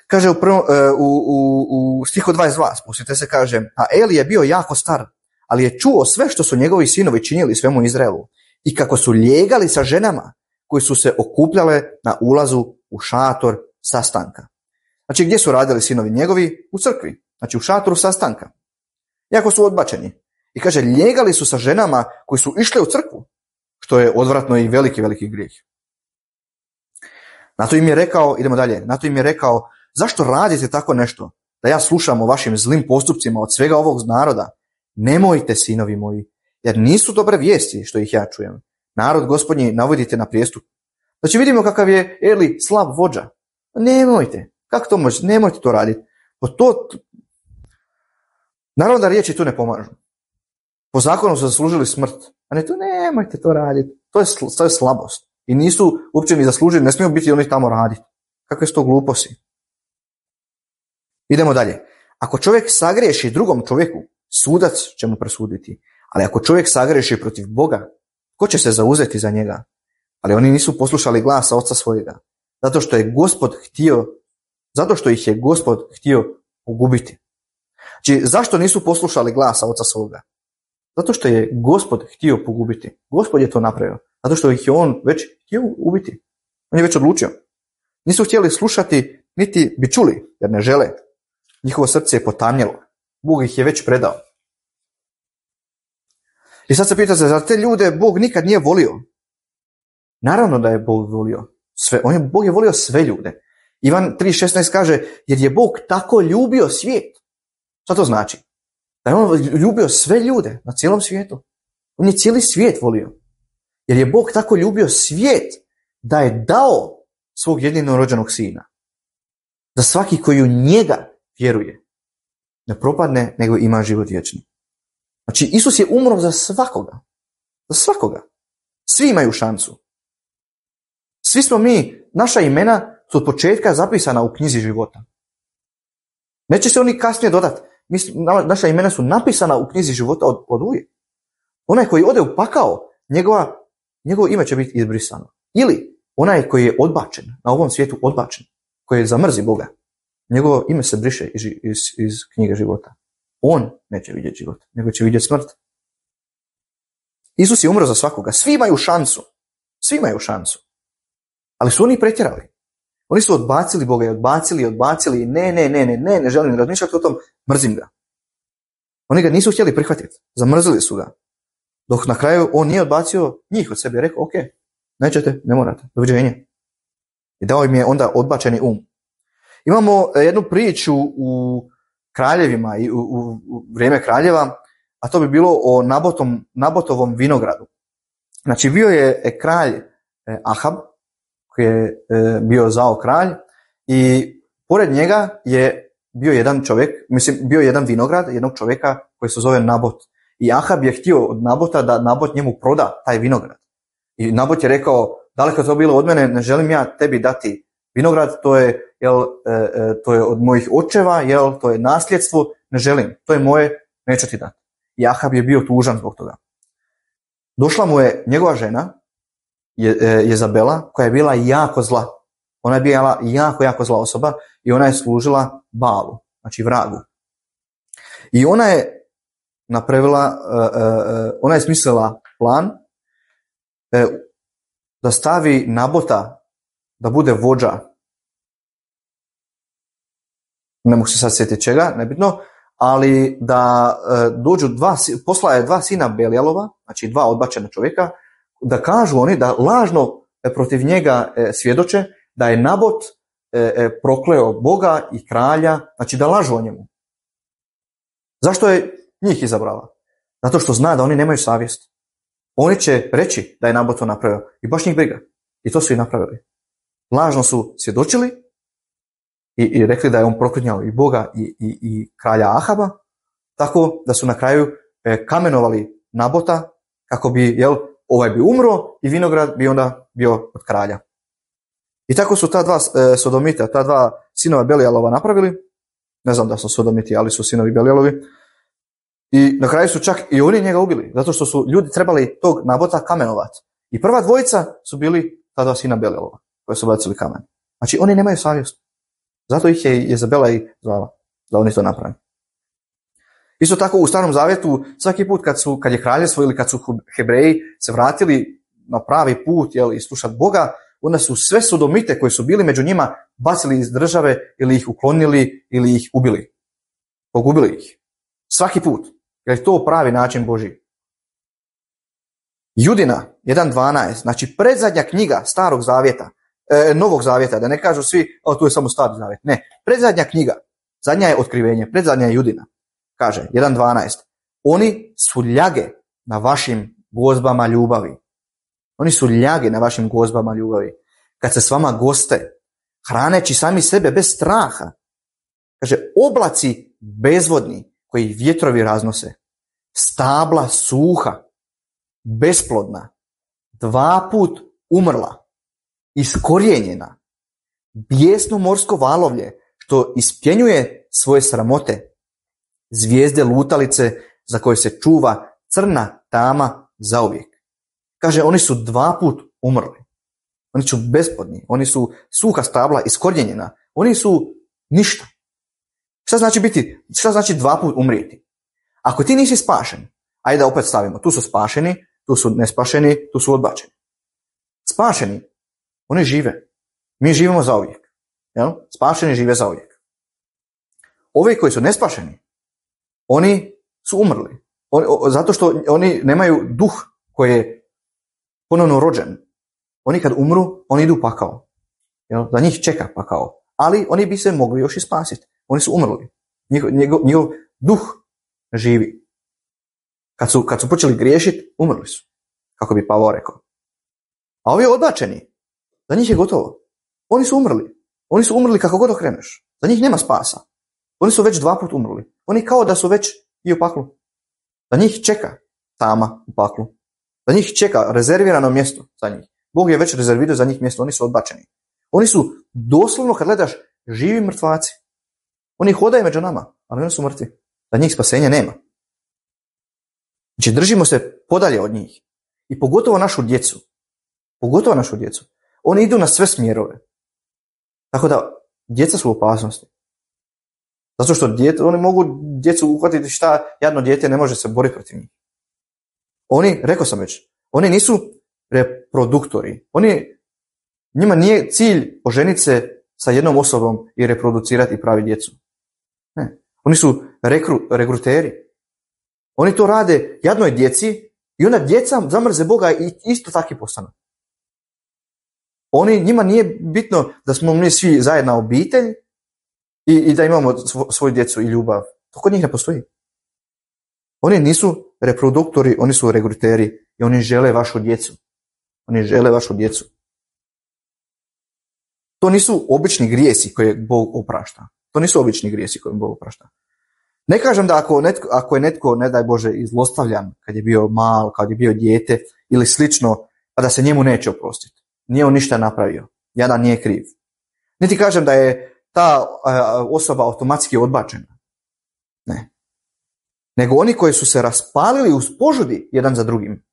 Kaže u, prvom, u, u, u stihu dvadeset dva, spustite se, kaže, a Eli je bio jako star, ali je čuo sve što su njegovi sinovi činili svemu Izraelu i kako su ljegali sa ženama koji su se okupljale na ulazu u šator sastanka. Znači, gdje su radili sinovi njegovi? U crkvi, znači u šatoru sastanka. Jako su odbačeni. I kaže, ljegali su sa ženama koji su išle u crkvu, što je odvratno i veliki, veliki grijeh. Na to im je rekao, idemo dalje, na to im je rekao, zašto radite tako nešto, da ja slušam o vašim zlim postupcima od svega ovog naroda? Nemojte, sinovi moji, jer nisu dobre vijesti što ih ja čujem. Narod Gospodnji navodite na prijestup. Znači vidimo kakav je Eli slab vođa. Nemojte, kako to može, nemojte to raditi. Po to, naravno da riječi tu ne pomažu. Po zakonu su zaslužili smrt, a ne to, nemojte to raditi. To je, to je slabost. I nisu uopće ni zaslužili, ne smiju biti oni tamo raditi. Kakve su to gluposti? Idemo dalje. Ako čovjek sagriješi drugom čovjeku, sudac će mu presuditi. Ali ako čovjek sagriješi protiv Boga, ko će se zauzeti za njega? Ali oni nisu poslušali glasa oca svojega. Zato što je Gospod htio, zato što ih je Gospod htio pogubiti. Znači, zašto nisu poslušali glasa oca svoga? Zato što je Gospod htio pogubiti. Gospod je to napravio. Zato što ih je on već htio ubiti. On je već odlučio. Nisu htjeli slušati, niti bi čuli, jer ne žele. Njihovo srce je potamnjelo. Bog ih je već predao. I sad se pitate, zar te ljude Bog nikad nije volio? Naravno da je Bog volio sve. On je, Bog je volio sve ljude. Ivan tri šesnaest kaže, jer je Bog tako ljubio svijet. Šta to znači? Da je on ljubio sve ljude na cijelom svijetu. On je cijeli svijet volio. Jer je Bog tako ljubio svijet da je dao svog jedinorođenog sina. Da svaki koji u njega vjeruje ne propadne, nego ima život vječni. Znači, Isus je umro za svakoga. Za svakoga. Svi imaju šansu. Svi smo mi, naša imena su od početka zapisana u knjizi života. Neće se oni kasnije dodati. Naša imena su napisana u knjizi života od, od uvijek. Onaj koji ode u pakao, njegova, njegovo ime će biti izbrisano. Ili onaj koji je odbačen, na ovom svijetu odbačen, koji zamrzi Boga, njegovo ime se briše iz, iz, iz knjige života. On neće vidjeti život, nego će vidjeti smrt. Isus je umro za svakoga. Svi imaju šansu. Svi imaju šansu. Ali su oni pretjerali. Oni su odbacili Boga i odbacili i odbacili. Ne, ne, ne, ne, ne, ne želim razmišljati o tom, mrzim ga. Oni ga nisu htjeli prihvatiti. Zamrzili su ga. Dok na kraju on nije odbacio njih od sebe i rekao, ok, nećete, ne morate, doviđenja. I dao im je onda odbačeni um. Imamo jednu priču u kraljevima i u, u, u vrijeme kraljeva, a to bi bilo o Nabotom, Nabotovom vinogradu. Znači bio je kralj Ahab, koji je bio zao kralj, i pored njega je bio jedan čovjek, mislim bio je jedan vinograd jednog čovjeka koji se zove Nabot. I Ahab je htio od Nabota da Nabot njemu proda taj vinograd. I Nabot je rekao, daleko to bilo od mene, ne želim ja tebi dati vinograd, to je, jel, e, to je od mojih očeva, jel, to je nasljedstvo, ne želim, to je moje, neću ti dati. I Ahab je bio tužan zbog toga. Došla mu je njegova žena, je, e, Jezabela, koja je bila jako zla. Ona je bila jako, jako zla osoba i ona je služila Baalu, znači vragu. I ona je napravila, uh, uh, ona je smislila plan uh, da stavi Nabota da bude vođa. Ne mogu se sad sjetiti čega, nebitno, ali da uh, dođu dva, posla je dva sina Belialova, znači dva odbačena čovjeka, da kažu oni da lažno protiv njega uh, svjedoče da je Nabot uh, prokleo Boga i kralja, znači da lažu o njemu. Zašto je njih izabrala? Zato što zna da oni nemaju savjest. Oni će reći da je Nabot to napravio i baš njih briga. I to su i napravili. Lažno su svjedočili i, i rekli da je on proklinjao i Boga i, i, i kralja Ahaba, tako da su na kraju e, kamenovali Nabota kako bi, jel, ovaj bi umro i vinograd bi onda bio od kralja. I tako su ta dva e, sodomita, ta dva sinova Belialova napravili. Ne znam da su sodomiti, ali su sinovi Belialovi. I na kraju su čak i oni njega ubili, zato što su ljudi trebali tog Nabota kamenovati. I prva dvojica su bili ta dva sina Belelova, koje su bacili kamen. Znači, oni nemaju savjest. Zato ih je Jezabela i zvala, da oni to naprave. Isto tako u Starom Zavjetu, svaki put kad, su, kad je kraljevstvo ili kad su Hebreji se vratili na pravi put, jel, i slušati Boga, onda su sve sodomite koji su bili među njima bacili iz države ili ih uklonili ili ih ubili. Pogubili ih. Svaki put. Jer je to pravi način Božji. Judina jedan dvanaest, znači predzadnja knjiga Starog Zavjeta, e, Novog Zavjeta, da ne kažu svi, o, tu je samo Stari Zavjet. Ne, predzadnja knjiga, zadnja je Otkrivenje, predzadnja je Judina. Kaže, jedan dvanaest, oni su ljage na vašim gozbama ljubavi. Oni su ljage na vašim gozbama ljubavi. Kad se s vama goste, hraneći sami sebe bez straha. Kaže, oblaci bezvodni koji vjetrovi raznose, stabla suha, besplodna, dva put umrla, iskorijenjena, bijesno morsko valovlje što ispjenjuje svoje sramote, zvijezde lutalice za koje se čuva crna tama zauvijek. Kaže, oni su dva put umrli. Oni su besplodni, oni su suha stabla iskorijenjena, oni su ništa. Šta znači biti, šta znači dva put umrijeti? Ako ti nisi spašen, ajde da opet stavimo, tu su spašeni, tu su nespašeni, tu su odbačeni. Spašeni, oni žive. Mi živimo zauvijek. Jel? Spašeni žive zauvijek. Ovi koji su nespašeni, oni su umrli. Oni, o, zato što oni nemaju duh koji je ponovno rođen. Oni kad umru, oni idu u pakao. Jel? Za njih čeka pakao. Ali oni bi se mogli još i spasiti. Oni su umrli. Njihov, njegov, njihov duh živi. Kad su, kad su počeli griješiti, umrli su. Kako bi Pavao rekao. A ovi odbačeni, za njih je gotovo. Oni su umrli. Oni su umrli kako god okreneš. Za njih nema spasa. Oni su već dva put umrli. Oni kao da su već i u paklu. Za njih čeka tama u paklu. Za njih čeka rezervirano mjesto za njih. Bog je već rezervirao za njih mjesto. Oni su odbačeni. Oni su doslovno, kad gledaš, živi mrtvaci. Oni hodaju među nama, ali oni su mrtvi. Za njih spasenja nema. Znači, držimo se podalje od njih. I pogotovo našu djecu. Pogotovo našu djecu. Oni idu na sve smjerove. Tako da, djeca su u opasnosti. Zato što djete, oni mogu djecu uhvatiti šta, jadno dijete ne može se boriti protiv njih. Oni, rekao sam već, oni nisu reproduktori. Oni, njima nije cilj oženiti se sa jednom osobom i reproducirati i pravi djecu. Ne. Oni su rekru, regruteri. Oni to rade jadnoj djeci i onda djeca zamrze Boga i isto tako postanu. Oni, njima nije bitno da smo mi svi zajedna obitelj i, i da imamo svoju djecu i ljubav. To kod njih ne postoji. Oni nisu reproduktori, oni su regruteri i oni žele vašu djecu. Oni žele vašu djecu. To nisu obični grijesi koje Bog oprašta. To nisu obični grijesi koje Bog oprašta. Ne kažem da ako, netko, ako je netko, ne daj Bože, izlostavljan kad je bio mal, kad je bio dijete ili slično, pa da se njemu neće oprostiti. Nije on ništa napravio. Jadan nije kriv. Niti kažem da je ta osoba automatski odbačena. Ne. Nego oni koji su se raspalili uz požudi jedan za drugim.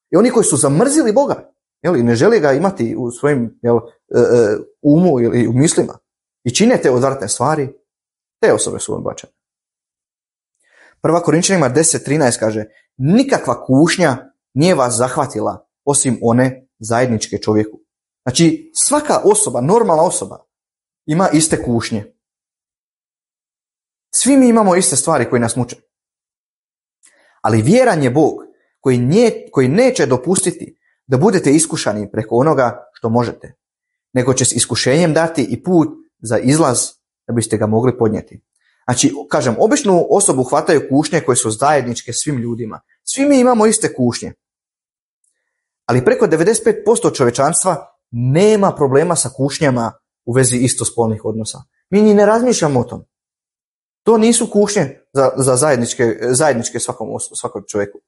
I oni koji su zamrzili Boga. Jel, i ne žele ga imati u svojim jel, umu ili u mislima. I čine te odvratne stvari. Te osobe su odbačene. Prva Korinčanima deset trinaest kaže, nikakva kušnja nije vas zahvatila osim one zajedničke čovjeku. Znači, svaka osoba, normalna osoba, ima iste kušnje. Svi mi imamo iste stvari koje nas muče. Ali vjeran je Bog koji, nje, koji neće dopustiti da budete iskušani preko onoga što možete, nego će s iskušenjem dati i put za izlaz da biste ga mogli podnijeti. Znači, kažem, običnu osobu hvataju kušnje koje su zajedničke svim ljudima. Svi mi imamo iste kušnje. Ali preko devedeset pet posto čovječanstva nema problema sa kušnjama u vezi istospolnih odnosa. Mi ni ne razmišljamo o tom. To nisu kušnje za, za zajedničke, zajedničke svakom, svakom čovjeku.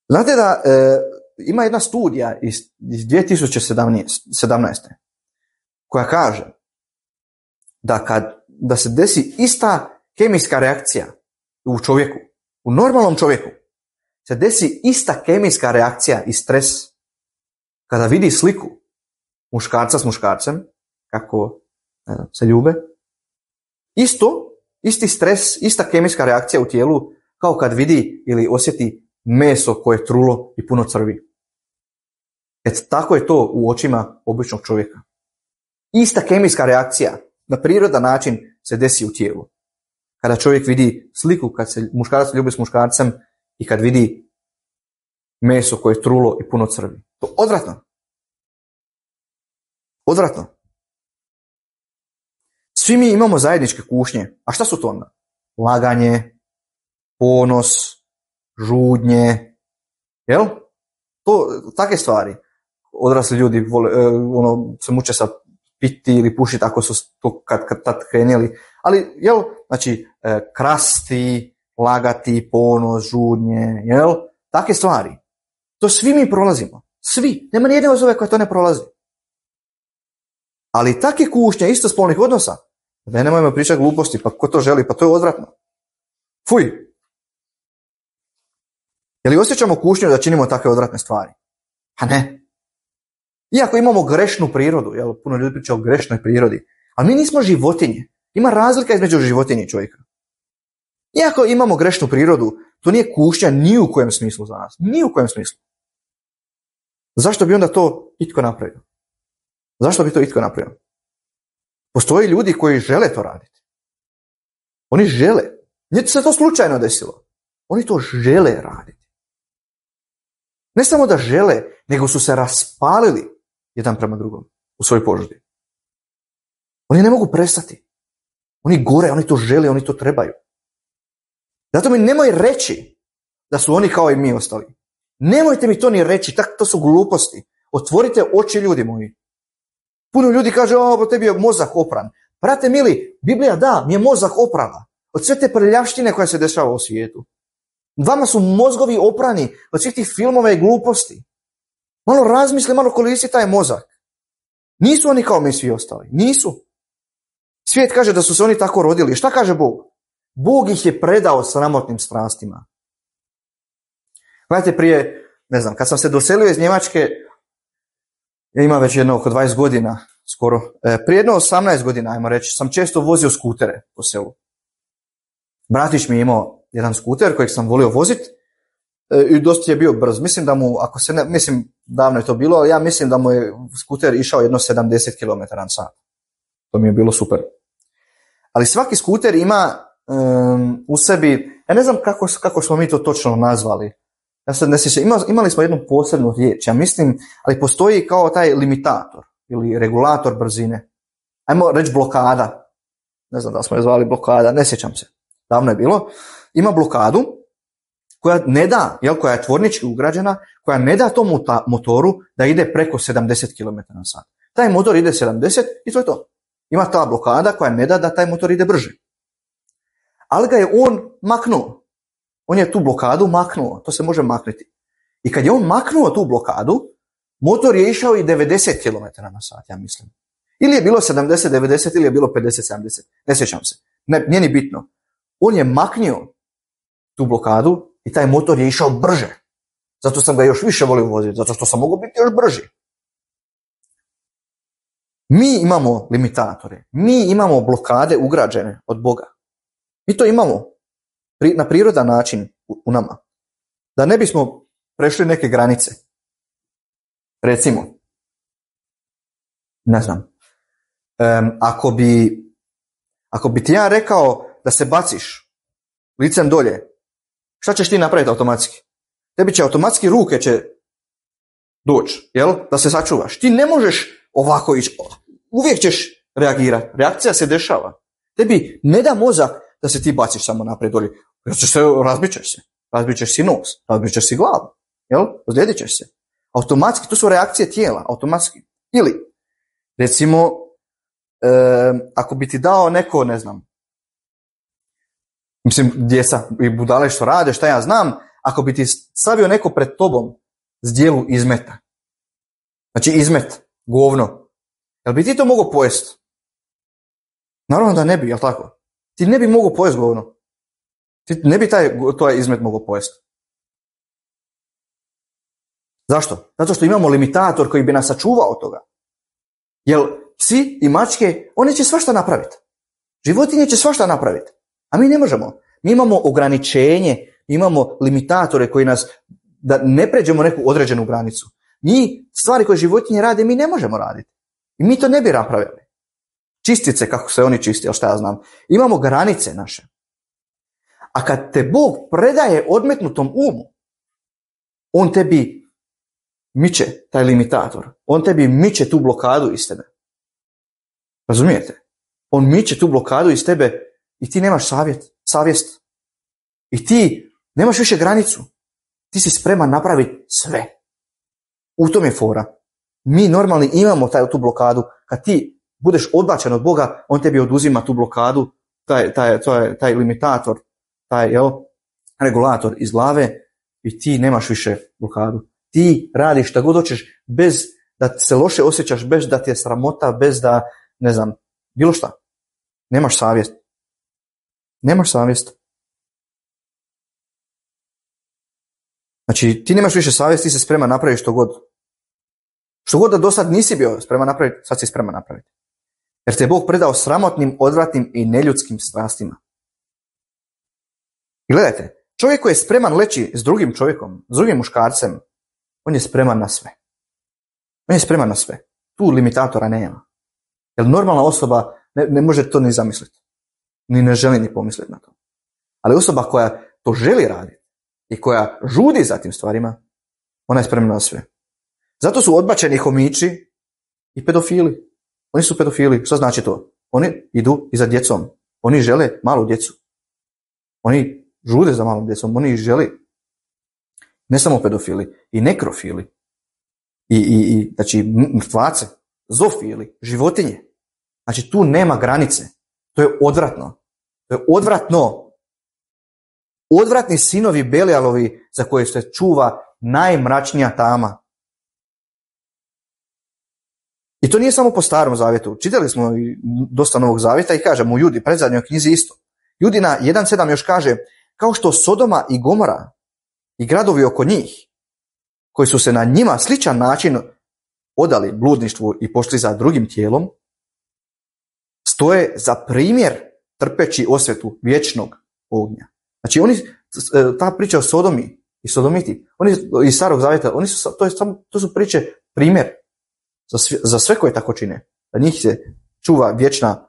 Znate da e, ima jedna studija iz, iz dvije tisuće sedamnaeste. koja kaže da kad da se desi ista kemijska reakcija u čovjeku, u normalnom čovjeku, se desi ista kemijska reakcija i stres kada vidi sliku muškarca s muškarcem, kako ne znam, se ljube, isto, isti stres, ista kemijska reakcija u tijelu kao kad vidi ili osjeti meso koje je trulo i puno crvi. Et tako je to u očima običnog čovjeka. Ista kemijska reakcija na prirodan način se desi u tijelu. Kada čovjek vidi sliku, kad se muškarac ljubi s muškarcem i kad vidi meso koje je trulo i puno crvi. To odvratno. Odvratno. Svi mi imamo zajedničke kušnje. A šta su to onda? Laganje, ponos, žudnje. Jel? To, takve stvari. Odrasli ljudi vole, ono, se muče sa piti ili pušiti ako su to kad, kad tad krenuli. Ali, jel, znači, krasti, lagati, ponos, žudnje, jel? Takve stvari. To svi mi prolazimo. Svi. Nema nijedne osobe koja to ne prolazi. Ali takve kušnje istospolnih odnosa, da nemojmo pričati gluposti, pa ko to želi, pa to je odvratno. Fuj. Je li osjećamo kušnju da činimo takve odvratne stvari? Pa ne. Iako imamo grešnu prirodu, jel, puno ljudi priča o grešnoj prirodi, ali mi nismo životinje. Ima razlika između životinje i čovjeka. Iako imamo grešnu prirodu, to nije kušnja ni u kojem smislu za nas. Ni u kojem smislu. Zašto bi onda to itko napravio? Zašto bi to itko napravio? Postoje ljudi koji žele to raditi. Oni žele. Nije se to slučajno desilo. Oni to žele raditi. Ne samo da žele, nego su se raspalili jedan prema drugom u svojoj požudi. Oni ne mogu prestati. Oni gore, oni to žele, oni to trebaju. Zato mi nemoj reći da su oni kao i mi ostali. Nemojte mi to ni reći, tak, to su gluposti. Otvorite oči, ljudi moji. Puno ljudi kaže, o, tebi je mozak opran. Brate mili, Biblija da, mi je mozak oprala. Od sve te prljavštine koja se dešava u svijetu. Vama su mozgovi oprani od svih tih filmova i gluposti. Malo razmisli, malo koristi taj mozak. Nisu oni kao mi svi ostali. Nisu. Svijet kaže da su se oni tako rodili. Šta kaže Bog? Bog ih je predao sramotnim strastima. Gledajte, prije, ne znam, kad sam se doselio iz Njemačke, ja imam već jedno oko dvadeset godina, skoro, prije jedno osamnaest godina, ajmo reći, sam često vozio skutere po selu. Bratić mi je imao jedan skuter kojeg sam volio voziti i dosta je bio brz. Mislim da mu, ako se ne, mislim, davno je to bilo, ali ja mislim da mu je skuter išao jedno sedamdeset kilometara na sat. To mi je bilo super. Ali svaki skuter ima um, u sebi, ja ne znam kako, kako smo mi to točno nazvali. Ja sad ne sjećam, ima, imali smo jednu posebnu riječ, ja mislim, ali postoji kao taj limitator ili regulator brzine. Ajmo reći blokada. Ne znam da smo je zvali blokada, ne sjećam se. Davno je bilo. Ima blokadu koja ne da, jel, koja je tvornički ugrađena, koja ne da tom motoru da ide preko sedamdeset kilometara na sat. Taj motor ide sedamdeset i to je to. Ima ta blokada koja ne da da taj motor ide brže. Ali ga je on maknuo. On je tu blokadu maknuo. To se može maknuti. I kad je on maknuo tu blokadu, motor je išao i devedeset kilometara na sat, ja mislim. Ili je bilo sedamdeset devedeset ili je bilo pedeset sedamdeset. Ne sjećam se. Ne, nije ni bitno. On je maknio tu blokadu i taj motor je išao brže. Zato sam ga još više volio voziti. Zato što sam mogao biti još brži. Mi imamo limitatore. Mi imamo blokade ugrađene od Boga. Mi to imamo na prirodan način u nama. Da ne bismo prešli neke granice. Recimo, ne znam, um, ako bi ako bi ti ja rekao da se baciš licem dolje, šta ćeš ti napraviti automatski? Tebi će automatski ruke će doći, jel? Da se sačuvaš. Ti ne možeš ovako ići. Uvijek ćeš reagirati. Reakcija se dešava. Tebi ne da mozak da se ti baciš samo naprijed dolje. Razbit ćeš se. Razbit ćeš si nos. Razbit ćeš si glavu. Jel? Ozlijedit ćeš se. Automatski. To su reakcije tijela. Automatski. Ili, recimo, e, ako bi ti dao neko, ne znam, mislim, djeca i budale što rade, šta ja znam, ako bi ti stavio neko pred tobom zdjelu izmeta. Znači izmet, govno. Jel bi ti to mogao pojesti? Naravno da ne bi, jel tako? Ti ne bi mogao pojesti govno. Ti ne bi taj, to izmet mogao pojesti. Zašto? Zato što imamo limitator koji bi nas sačuvao od toga. Jer psi i mačke, oni će svašta napraviti. Životinje će svašta napraviti. A mi ne možemo. Mi imamo ograničenje, imamo limitatore koji nas, da ne pređemo neku određenu granicu. Mi, stvari koje životinje rade, mi ne možemo raditi. I mi to ne bi napravili. Čistice, kako se oni čiste, šta ja znam. Imamo granice naše. A kad te Bog predaje odmetnutom umu, on tebi miče taj limitator. On tebi miče tu blokadu iz tebe. Razumijete? On miče tu blokadu iz tebe i ti nemaš savjet, savjest. I ti nemaš više granicu. Ti si spreman napraviti sve. U tom je fora. Mi normalni imamo taj, tu blokadu. Kad ti budeš odbačen od Boga, on tebi oduzima tu blokadu, taj, taj, taj, taj limitator, taj jel, regulator iz glave i ti nemaš više blokadu. Ti radiš šta god hoćeš bez da se loše osjećaš, bez da ti je sramota, bez da, ne znam, bilo šta. Nemaš savjest. Nemaš savjest. Znači, ti nemaš više savjest, ti se spreman napraviti što god. Što god da do sad nisi bio spreman napraviti, sad si spreman napraviti. Jer te je Bog predao sramotnim, odvratnim i neljudskim strastima. I gledajte, čovjek koji je spreman leći s drugim čovjekom, s drugim muškarcem, on je spreman na sve. On je spreman na sve. Tu limitatora nema. Jer normalna osoba ne, ne može to ni zamisliti. Ni ne želi ni pomisliti na to. Ali osoba koja to želi raditi i koja žudi za tim stvarima, ona je spremna na sve. Zato su odbačeni homiči i pedofili. Oni su pedofili. Što znači to? Oni idu i za djecom. Oni žele malu djecu. Oni žude za malom djecom. Oni žele ne samo pedofili, i nekrofili, i, i, i znači mrtvace, zofili, životinje. Znači tu nema granice. To je odvratno. To je odvratno. Odvratni sinovi Belijalovi za koje se čuva najmračnija tama. I to nije samo po Starom zavjetu. Čitali smo dosta Novog zavjeta i kažemo u Judi, predzadnjoj knjizi isto. Judina jedan sedam još kaže, kao što Sodoma i Gomora i gradovi oko njih, koji su se na njima sličan način odali bludništvu i pošli za drugim tijelom, stoje za primjer trpeći osvetu vječnog ognja. Znači oni, ta priča o Sodomi i Sodomiti, oni iz Starog zavjeta, oni su, to, je samo, to su priče primjer za sve, za sve koje tako čine. Za njih se čuva vječna,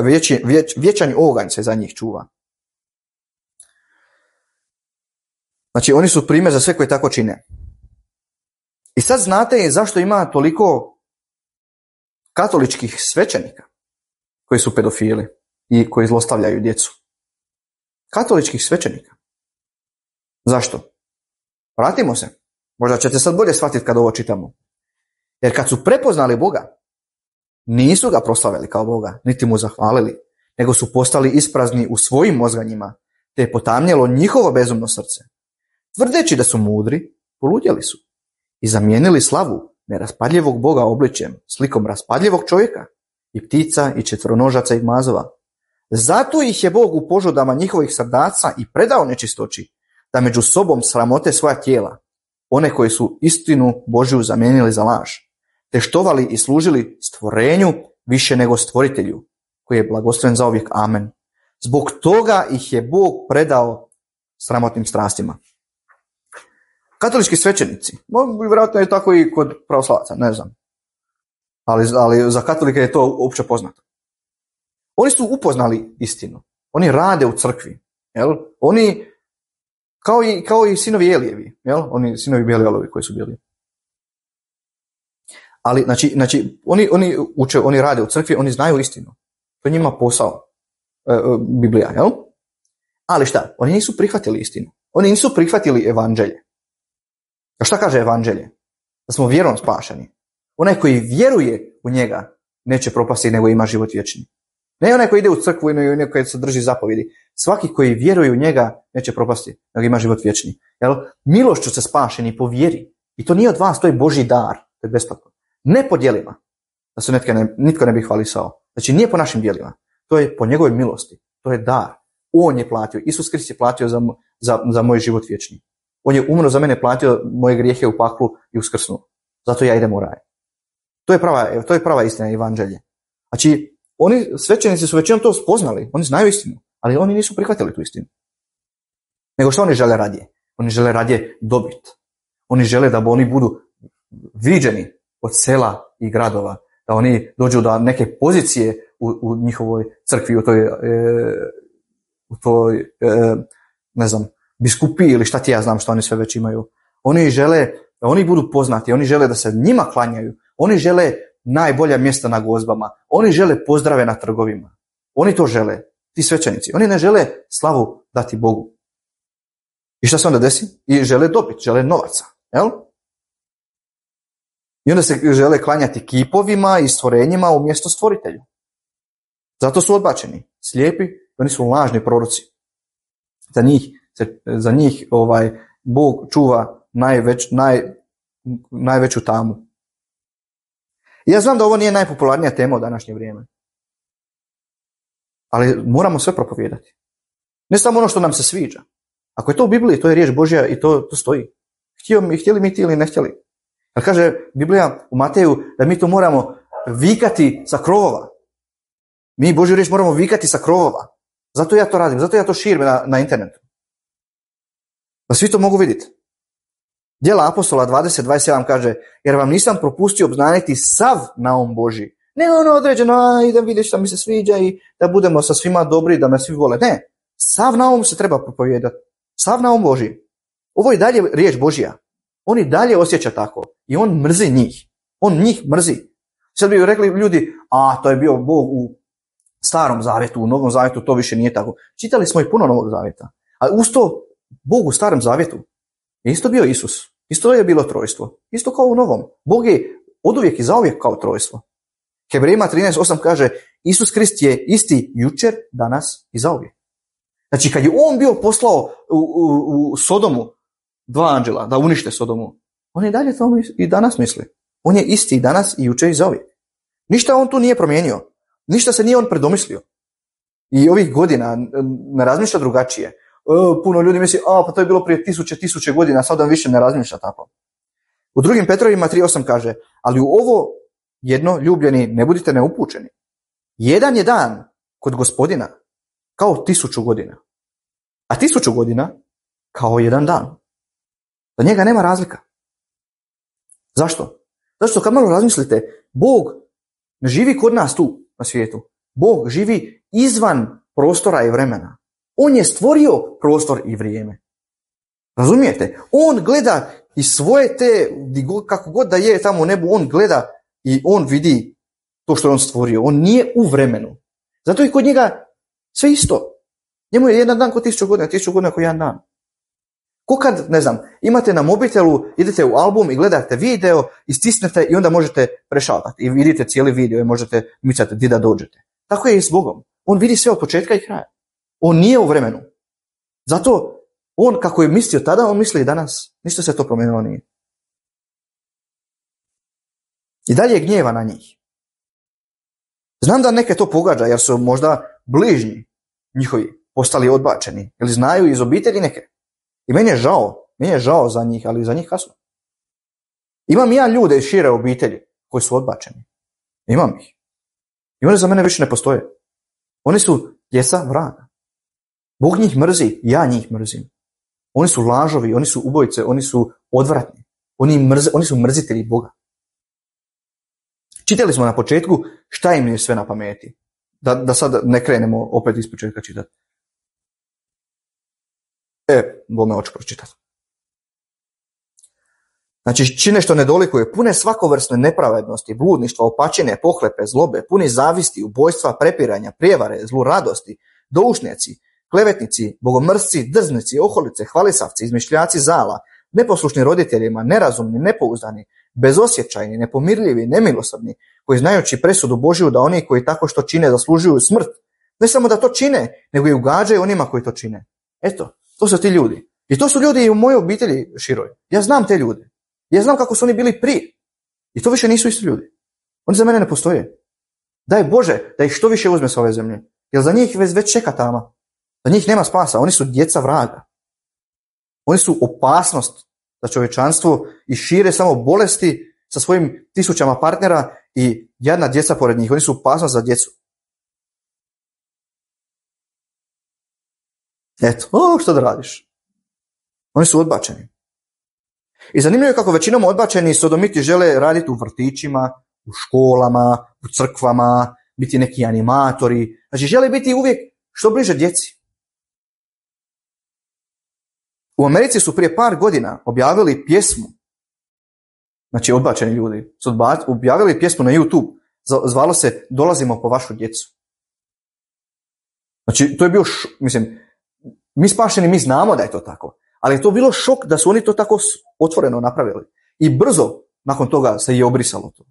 vječi, vječ, vječan oganj se za njih čuva. Znači oni su primjer za sve koje tako čine. I sad znate zašto ima toliko katoličkih svećenika koji su pedofili i koji zlostavljaju djecu. Katoličkih svećenika. Zašto? Vratimo se. Možda ćete sad bolje shvatiti kad ovo čitamo. Jer kad su prepoznali Boga, nisu ga proslavili kao Boga, niti mu zahvalili, nego su postali isprazni u svojim mozganjima, te je potamnjelo njihovo bezumno srce. Tvrdeći da su mudri, poludjeli su i zamijenili slavu neraspadljivog Boga obličjem, slikom raspadljivog čovjeka i ptica i četveronožaca i mazova. Zato ih je Bog u požudama njihovih srdaca i predao nečistoći, da među sobom sramote svoja tijela, one koji su istinu Božju zamijenili za laž, te štovali i služili stvorenju više nego stvoritelju, koji je blagosloven zauvijek. Amen. Zbog toga ih je Bog predao sramotnim strastima. Katolički svećenici, vjerojatno je tako i kod pravoslavaca, ne znam, ali, ali za katolike je to opće poznato. Oni su upoznali istinu, oni rade u crkvi, jel? Oni kao i, kao i sinovi Elijevi, jel? Oni sinovi Belijalovi koji su bili. Ali znači, znači oni, oni uče, oni rade u crkvi, oni znaju istinu. To je njima posao, e, e, Biblija, jel? Ali šta? Oni nisu prihvatili istinu. Oni nisu prihvatili evanđelje. A šta kaže evanđelje? Da smo vjerom spašeni. Onaj koji vjeruje u njega neće propasti, nego ima život vječni. Ne onaj koji ide u crkvu i onaj koji se drži zapovjedi. Svaki koji vjeruje u njega neće propasti, nego ima život vječni. Jel? Milošću se spašeni po vjeri. I to nije od vas, to je Božji dar. To je besplatno. Ne po djelima. Da se netko ne, nitko ne bi hvalisao. Znači nije po našim djelima. To je po njegovoj milosti. To je dar. On je platio. Isus Krist je platio za, za, za moj život vječni. On je umro za mene, platio moje grijehe u paklu i uskrsnuo. Zato ja idem u raj. To je prava, to je prava istina evanđelje. Znači, oni, svećenici su većinom to spoznali, oni znaju istinu, ali oni nisu prihvatili tu istinu. Nego što oni žele radije? Oni žele radije dobit. Oni žele da oni budu viđeni od sela i gradova, da oni dođu do neke pozicije u, u njihovoj crkvi, u toj, e, u toj e, ne znam, biskupiji ili šta ti ja znam što oni sve već imaju. Oni žele da oni budu poznati, oni žele da se njima klanjaju, oni žele najbolja mjesta na gozbama, oni žele pozdrave na trgovima. Oni to žele, ti svećenici. Oni ne žele slavu dati Bogu. I šta se onda desi? I žele dobiti, žele novaca. Jel? I onda se žele klanjati kipovima i stvorenjima umjesto stvoritelju. Zato su odbačeni. Slijepi, oni su lažni proroci. Za njih, za njih ovaj, Bog čuva najveć, naj, najveću tamu. I ja znam da ovo nije najpopularnija tema u današnje vrijeme. Ali moramo sve propovijedati. Ne samo ono što nam se sviđa. Ako je to u Bibliji, to je riječ Božja i to, to stoji. Htjeli, htjeli mi ti ili ne htjeli. Jer kaže Biblija u Mateju da mi to moramo vikati sa krovova. Mi Božju riječ moramo vikati sa krovova. Zato ja to radim, zato ja to širim na, na internetu. Da svi to mogu vidjeti. Djela apostola dvadeset dvadeset sedam kaže, jer vam nisam propustio obznaniti sav naum Božji. Ne ono određeno, a idem vidjeti šta mi se sviđa i da budemo sa svima dobri, da me svi vole. Ne, sav naum se treba propovijedati. Sav naum Božji. Ovo je dalje riječ Božja. On i dalje osjeća tako. I on mrzi njih. On njih mrzi. Sad bi rekli ljudi, a to je bio Bog u starom zavjetu, u novom zavjetu, to više nije tako. Čitali smo i puno novog zavjeta. A uz to, Bog u starom zavjetu je isto bio Isus. Isto je bilo trojstvo. Isto kao u novom. Bog je oduvijek i zauvijek kao trojstvo. Hebrejima trinaest osam kaže, Isus Krist je isti jučer, danas i zauvijek. Znači, kad je on bio poslao u, u, u Sodomu dva anđela da unište Sodomu, on je dalje to i danas misli. On je isti i danas i jučer i zauvijek. Ništa on tu nije promijenio. Ništa se nije on predomislio. I ovih godina ne razmišlja drugačije. E, puno ljudi misli, a pa to je bilo prije tisuće, tisuće godina, sad on više ne razmišlja tako. U drugim Petrovima tri osam kaže, ali u ovo jedno, ljubljeni, ne budite neupućeni. Jedan je dan kod Gospodina kao tisuću godina. A tisuću godina kao jedan dan. Za njega nema razlika. Zašto? Zašto kad malo razmislite, Bog ne živi kod nas tu na svijetu. Bog živi izvan prostora i vremena. On je stvorio prostor i vrijeme. Razumijete? On gleda i svoje te, kako god da je tamo u nebu, on gleda i on vidi to što je on stvorio. On nije u vremenu. Zato i kod njega sve isto. Njemu je jedan dan kod tisuću godina, tisuću godina kod jedan dan. Ko kad, ne znam, imate na mobitelu, idete u album i gledate video, istisnete i onda možete prešaltati i vidite cijeli video i možete micati di da dođete. Tako je i s Bogom. On vidi sve od početka i kraja. On nije u vremenu. Zato on kako je mislio tada, on misli i danas. Ništa se to promijenilo nije. I dalje je gnjeva na njih. Znam da neke to pogađa jer su možda bližnji njihovi postali odbačeni. Ili znaju iz obitelji neke. I meni je žao, meni je žao za njih, ali za njih kasno. Imam ja ljude iz šire obitelji koji su odbačeni. Imam ih. I oni za mene više ne postoje. Oni su djeca vraga. Bog njih mrzi, ja njih mrzim. Oni su lažovi, oni su ubojice, oni su odvratni. Oni, mrze, oni su mrzitelji Boga. Čitali smo na početku šta im je sve na pameti. Da, da sad ne krenemo opet iz početka čitati. E, bome hoću pročitati. Znači, čine što ne dolikuje, pune svakovrsne nepravednosti, bludništva, opačine, pohlepe, zlobe, puni zavisti, ubojstva, prepiranja, prijevare, zluradosti, doušnjaci, klevetnici, bogomrsci, drznici, oholice, hvalisavci, izmišljaci zala, neposlušni roditeljima, nerazumni, nepouzdani, bezosjećajni, nepomirljivi, nemilosrdni, koji znajući presudu Božju da oni koji tako što čine zaslužuju smrt, ne samo da to čine, nego i ugađaju onima koji to čine. Eto, to su ti ljudi. I to su ljudi i u mojoj obitelji široj. Ja znam te ljude. Ja znam kako su oni bili prije. I to više nisu isti ljudi. Oni za mene ne postoje. Daj Bože da ih što više uzme s ove zemlje. Jer za njih već, već čeka tama. Za njih nema spasa. Oni su djeca vraga. Oni su opasnost za čovječanstvo i šire samo bolesti sa svojim tisućama partnera i jadna djeca pored njih. Oni su opasnost za djecu. Eto, o, što da radiš? Oni su odbačeni. I zanimljivo je kako većinom odbačeni sodomiti žele raditi u vrtićima, u školama, u crkvama, biti neki animatori. Znači, žele biti uvijek što bliže djeci. U Americi su prije par godina objavili pjesmu, znači odbačeni ljudi, su objavili pjesmu na YouTube, zvalo se Dolazimo po vašu djecu. Znači, to je bio, š... mislim, mi spašeni, mi znamo da je to tako, ali je to bilo šok da su oni to tako otvoreno napravili. I brzo nakon toga se je obrisalo to.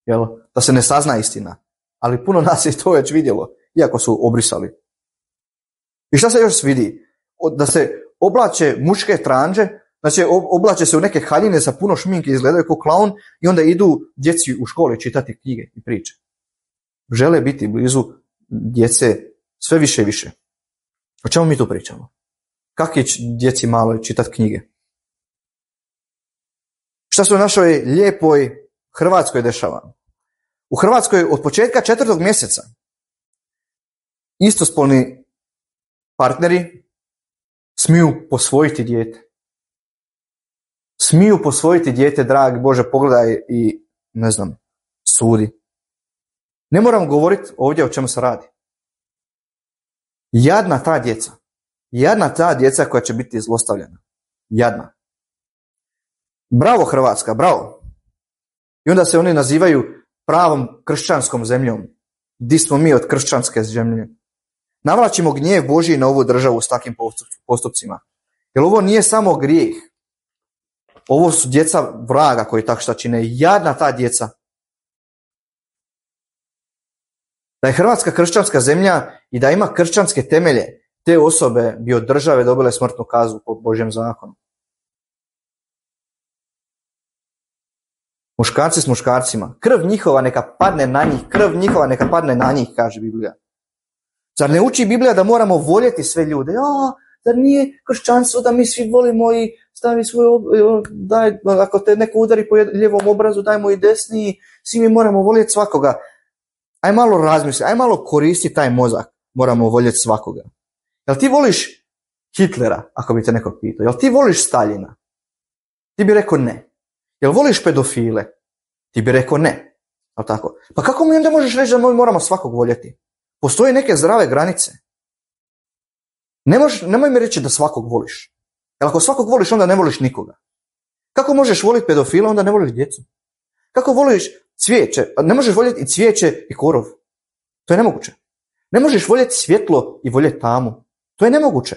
Jel? Da se ne sazna istina. Ali puno nas je to već vidjelo, iako su obrisali. I šta se još vidi? Da se oblače muške tranđe, znači oblače se u neke haljine sa puno šminke, izgledaju kao klaun i onda idu djeci u školi čitati knjige i priče. Žele biti blizu djece sve više i više. O čemu mi tu pričamo? Kako je djeci malo čitati knjige? Šta se u našoj lijepoj Hrvatskoj dešava? U Hrvatskoj od početka četvrtog mjeseca istospolni partneri smiju posvojiti dijete. Smiju posvojiti dijete, dragi Bože, pogledaj i, ne znam, sudi. Ne moram govoriti ovdje o čemu se radi. Jadna ta djeca. Jadna ta djeca koja će biti zlostavljena. Jadna. Bravo Hrvatska, bravo. I onda se oni nazivaju pravom kršćanskom zemljom. Di smo mi od kršćanske zemlje? Navlačimo gnjev Božji na ovu državu s takvim postupcima. Jer ovo nije samo grijeh. Ovo su djeca vraga koji tak šta čine. Jadna ta djeca. Da je Hrvatska kršćanska zemlja i da ima kršćanske temelje, te osobe bi od države dobile smrtnu kaznu po Božjem zakonu. Muškarci s muškarcima. Krv njihova neka padne na njih. Krv njihova neka padne na njih, kaže Biblija. Zar ne uči Biblija da moramo voljeti sve ljude? A, zar nije kršćanstvo da mi svi volimo i stavi svoj, daj, ako te neko udari po lijevom obrazu, dajmo i desni, svi mi moramo voljeti svakoga. Aj malo razmisli, aj malo koristi taj mozak, moramo voljeti svakoga. Jel ti voliš Hitlera, ako bi te neko pitao? Jel ti voliš Staljina? Ti bi rekao ne. Jel voliš pedofile? Ti bi rekao ne. Jel tako? Pa kako mi onda možeš reći da mi moramo svakog voljeti? Postoje neke zdrave granice. Ne možeš, nemoj mi reći da svakog voliš. Jer ako svakog voliš, onda ne voliš nikoga. Kako možeš voliti pedofila, onda ne voliš djecu? Kako voliš cvijeće? Ne možeš voljeti i cvijeće i korov. To je nemoguće. Ne možeš voljeti svjetlo i voljeti tamu. To je nemoguće.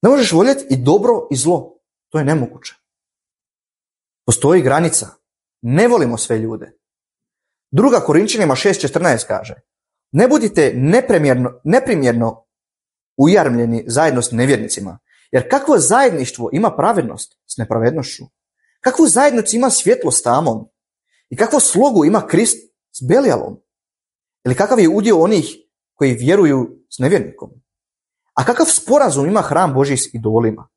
Ne možeš voljeti i dobro i zlo. To je nemoguće. Postoji granica. Ne volimo sve ljude. Druga Korinčanima šest četrnaest kaže: ne budite neprimjerno, neprimjerno ujarmljeni zajedno s nevjernicima, jer kakvo zajedništvo ima pravednost s nepravednošću? Kakvu zajednicu ima svjetlo s tamom? I kakvu slogu ima Krist s Belijalom? Ili kakav je udio onih koji vjeruju s nevjernikom? A kakav sporazum ima hram Božji s idolima?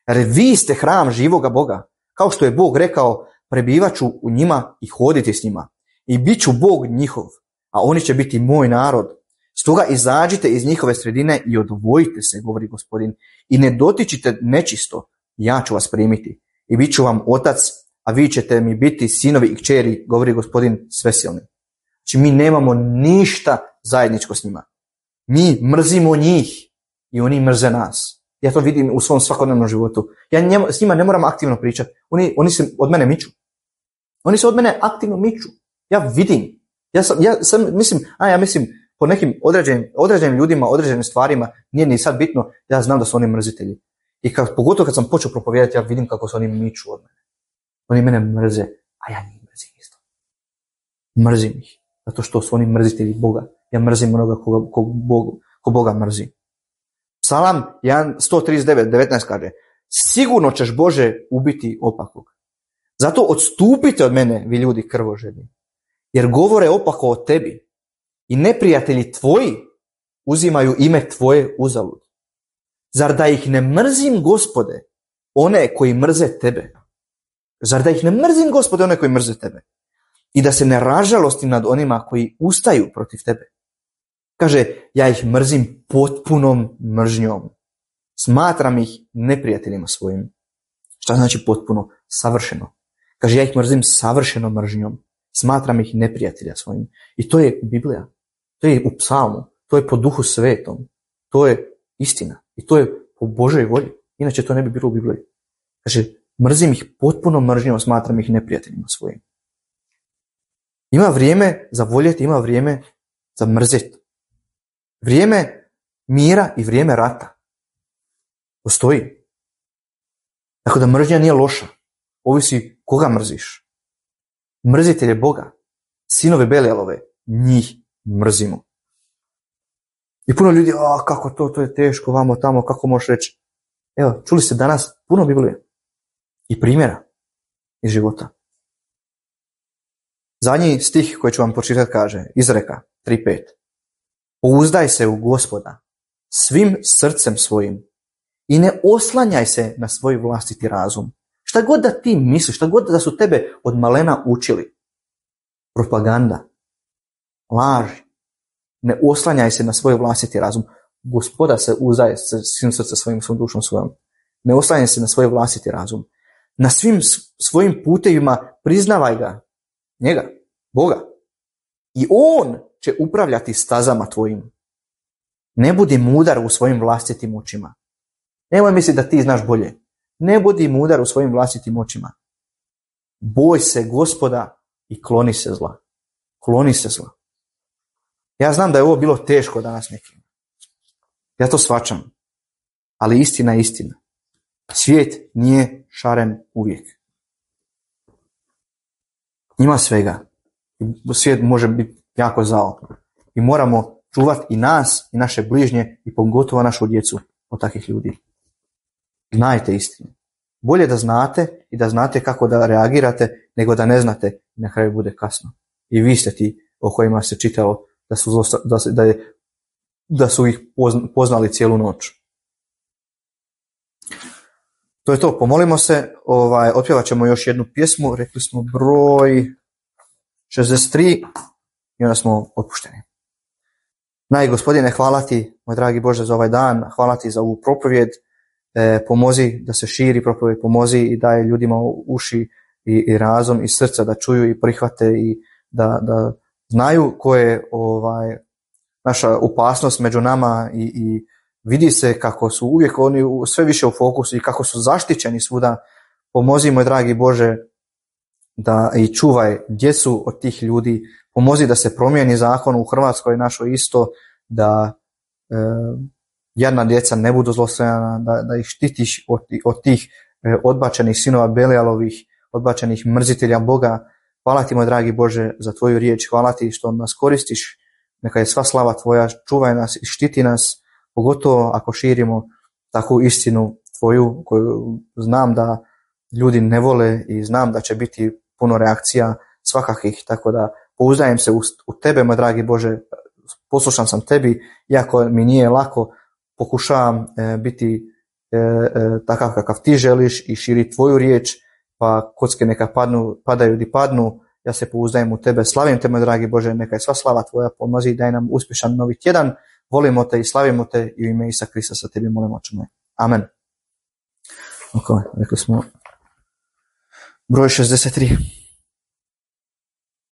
Jer vi ste hram živoga Boga, kao što je Bog rekao: prebivaću u njima i hoditi s njima. I bit ću Bog njihov, a oni će biti moj narod. Stoga izađite iz njihove sredine i odvojite se, govori Gospodin, i ne dotičite nečisto, ja ću vas primiti. I bit ću vam otac, a vi ćete mi biti sinovi i kćeri, govori Gospodin svesilni. Znači mi nemamo ništa zajedničko s njima. Mi mrzimo njih i oni mrze nas. Ja to vidim u svom svakodnevnom životu. Ja njema, s njima ne moram aktivno pričati. Oni, oni se od mene miču. Oni se od mene aktivno miču. Ja vidim. Ja sam, ja sam mislim, a ja mislim po nekim određenim, određenim ljudima, određenim stvarima, nije ni sad bitno, ja znam da su oni mrzitelji. I kad, pogotovo kad sam počeo propovijedati, ja vidim kako se oni miču od mene. Oni mene mrze, a ja njih mrzim isto. Mrzim ih, zato što su oni mrzitelji Boga. Ja mrzim onoga koga, koga Bogu, ko Boga mrzi. Psalam sto trideset devet devetnaest kaže: sigurno ćeš, Bože, ubiti opakog. Zato odstupite od mene, vi ljudi krvožedni, jer govore opako o tebi i neprijatelji tvoji uzimaju ime tvoje uzalud. Zar da ih ne mrzim, Gospode, one koji mrze tebe? Zar da ih ne mrzim, Gospode, one koji mrze tebe? I da se ne ražalostim nad onima koji ustaju protiv tebe. Kaže, ja ih mrzim potpunom mržnjom. Smatram ih neprijateljima svojim. Šta znači potpuno? Savršeno. Kaže, ja ih mrzim savršenom mržnjom. Smatram ih neprijatelja svojim. I to je Biblija. To je u psalmu. To je po Duhu Svetom. To je istina. I to je po Božoj volji. Inače to ne bi bilo u Bibliji. Kaže, mrzim ih potpunom mržnjom, smatram ih neprijateljima svojim. Ima vrijeme za voljeti, ima vrijeme za mrzeti. Vrijeme mira i vrijeme rata. Postoji. Tako da mržnja nije loša. Ovisi koga mrziš. Mrzitelj je Boga. Sinove Belialove, njih mrzimo. I puno ljudi, a kako to, to je teško, vamo tamo, kako možeš reći. Evo, čuli ste danas puno Biblije i primjera iz života. Zadnji stih koji ću vam pročitati kaže, Izreka tri pet. Pouzdaj se u Gospoda svim srcem svojim i ne oslanjaj se na svoj vlastiti razum. Šta god da ti misliš, šta god da su tebe od malena učili, propaganda, laži, ne oslanjaj se na svoj vlastiti razum. Gospoda se uzdaje svim srcem svojim, svom dušom svojom. Ne oslanjaj se na svoj vlastiti razum. Na svim svojim putevima priznavaj ga, njega, Boga. I on će upravljati stazama tvojim. Ne budi mudar u svojim vlastitim očima. Nemoj misliti da ti znaš bolje. Ne budi mudar u svojim vlastitim očima. Boj se Gospoda i kloni se zla. Kloni se zla. Ja znam da je ovo bilo teško danas nekim. Ja to shvaćam. Ali istina je istina. Svijet nije šaren uvijek. Ima svega. Svijet može biti jako zao. I moramo čuvati i nas, i naše bližnje, i pogotovo našu djecu od takvih ljudi. Znajte istinu. Bolje da znate i da znate kako da reagirate, nego da ne znate i na kraju bude kasno. I vi ste ti o kojima se čitalo da su, da, da, je, da su ih poznali cijelu noć. To je to, pomolimo se, ovaj, otpjevat ćemo još jednu pjesmu, rekli smo broj šezdeset tri i onda smo otpušteni. Naj Gospodine, hvala ti, moj dragi Bože, za ovaj dan, hvala ti za ovu propovjed, e, pomozi da se širi propovjed, pomozi i daje ljudima uši i, i razum i srca da čuju i prihvate i da, da znaju ko je ovaj, naša opasnost među nama i, i vidi se kako su uvijek oni sve više u fokusu i kako su zaštićeni svuda. Pomozi, moj dragi Bože, da i čuvaj djecu od tih ljudi. Pomozi da se promijeni zakon u Hrvatskoj našoj isto, da e, jadna djeca ne budu zlostavljana, da, da ih štitiš od, od tih e, odbačenih sinova Belialovih, odbačenih mrzitelja Boga. Hvala ti, moj dragi Bože, za tvoju riječ. Hvala ti što nas koristiš. Neka je sva slava tvoja. Čuvaj nas i štiti nas, pogotovo ako širimo takvu istinu tvoju koju znam da ljudi ne vole i znam da će biti puno reakcija svakakih, tako da pouzdajem se u, u tebe, moj dragi Bože, poslušan sam tebi, iako mi nije lako, pokušavam e, biti e, e, takav kakav ti želiš i širi tvoju riječ, pa kocke neka padnu, padaju di padnu, ja se pouzdajem u tebe, slavim te, moj dragi Bože, neka je sva slava tvoja, pomozi, daj nam uspješan novi tjedan, volimo te i slavimo te i u ime Isusa Krista sa tebi molimo, oče moj. Amen. Ok, rekli smo broj šezdeset tri.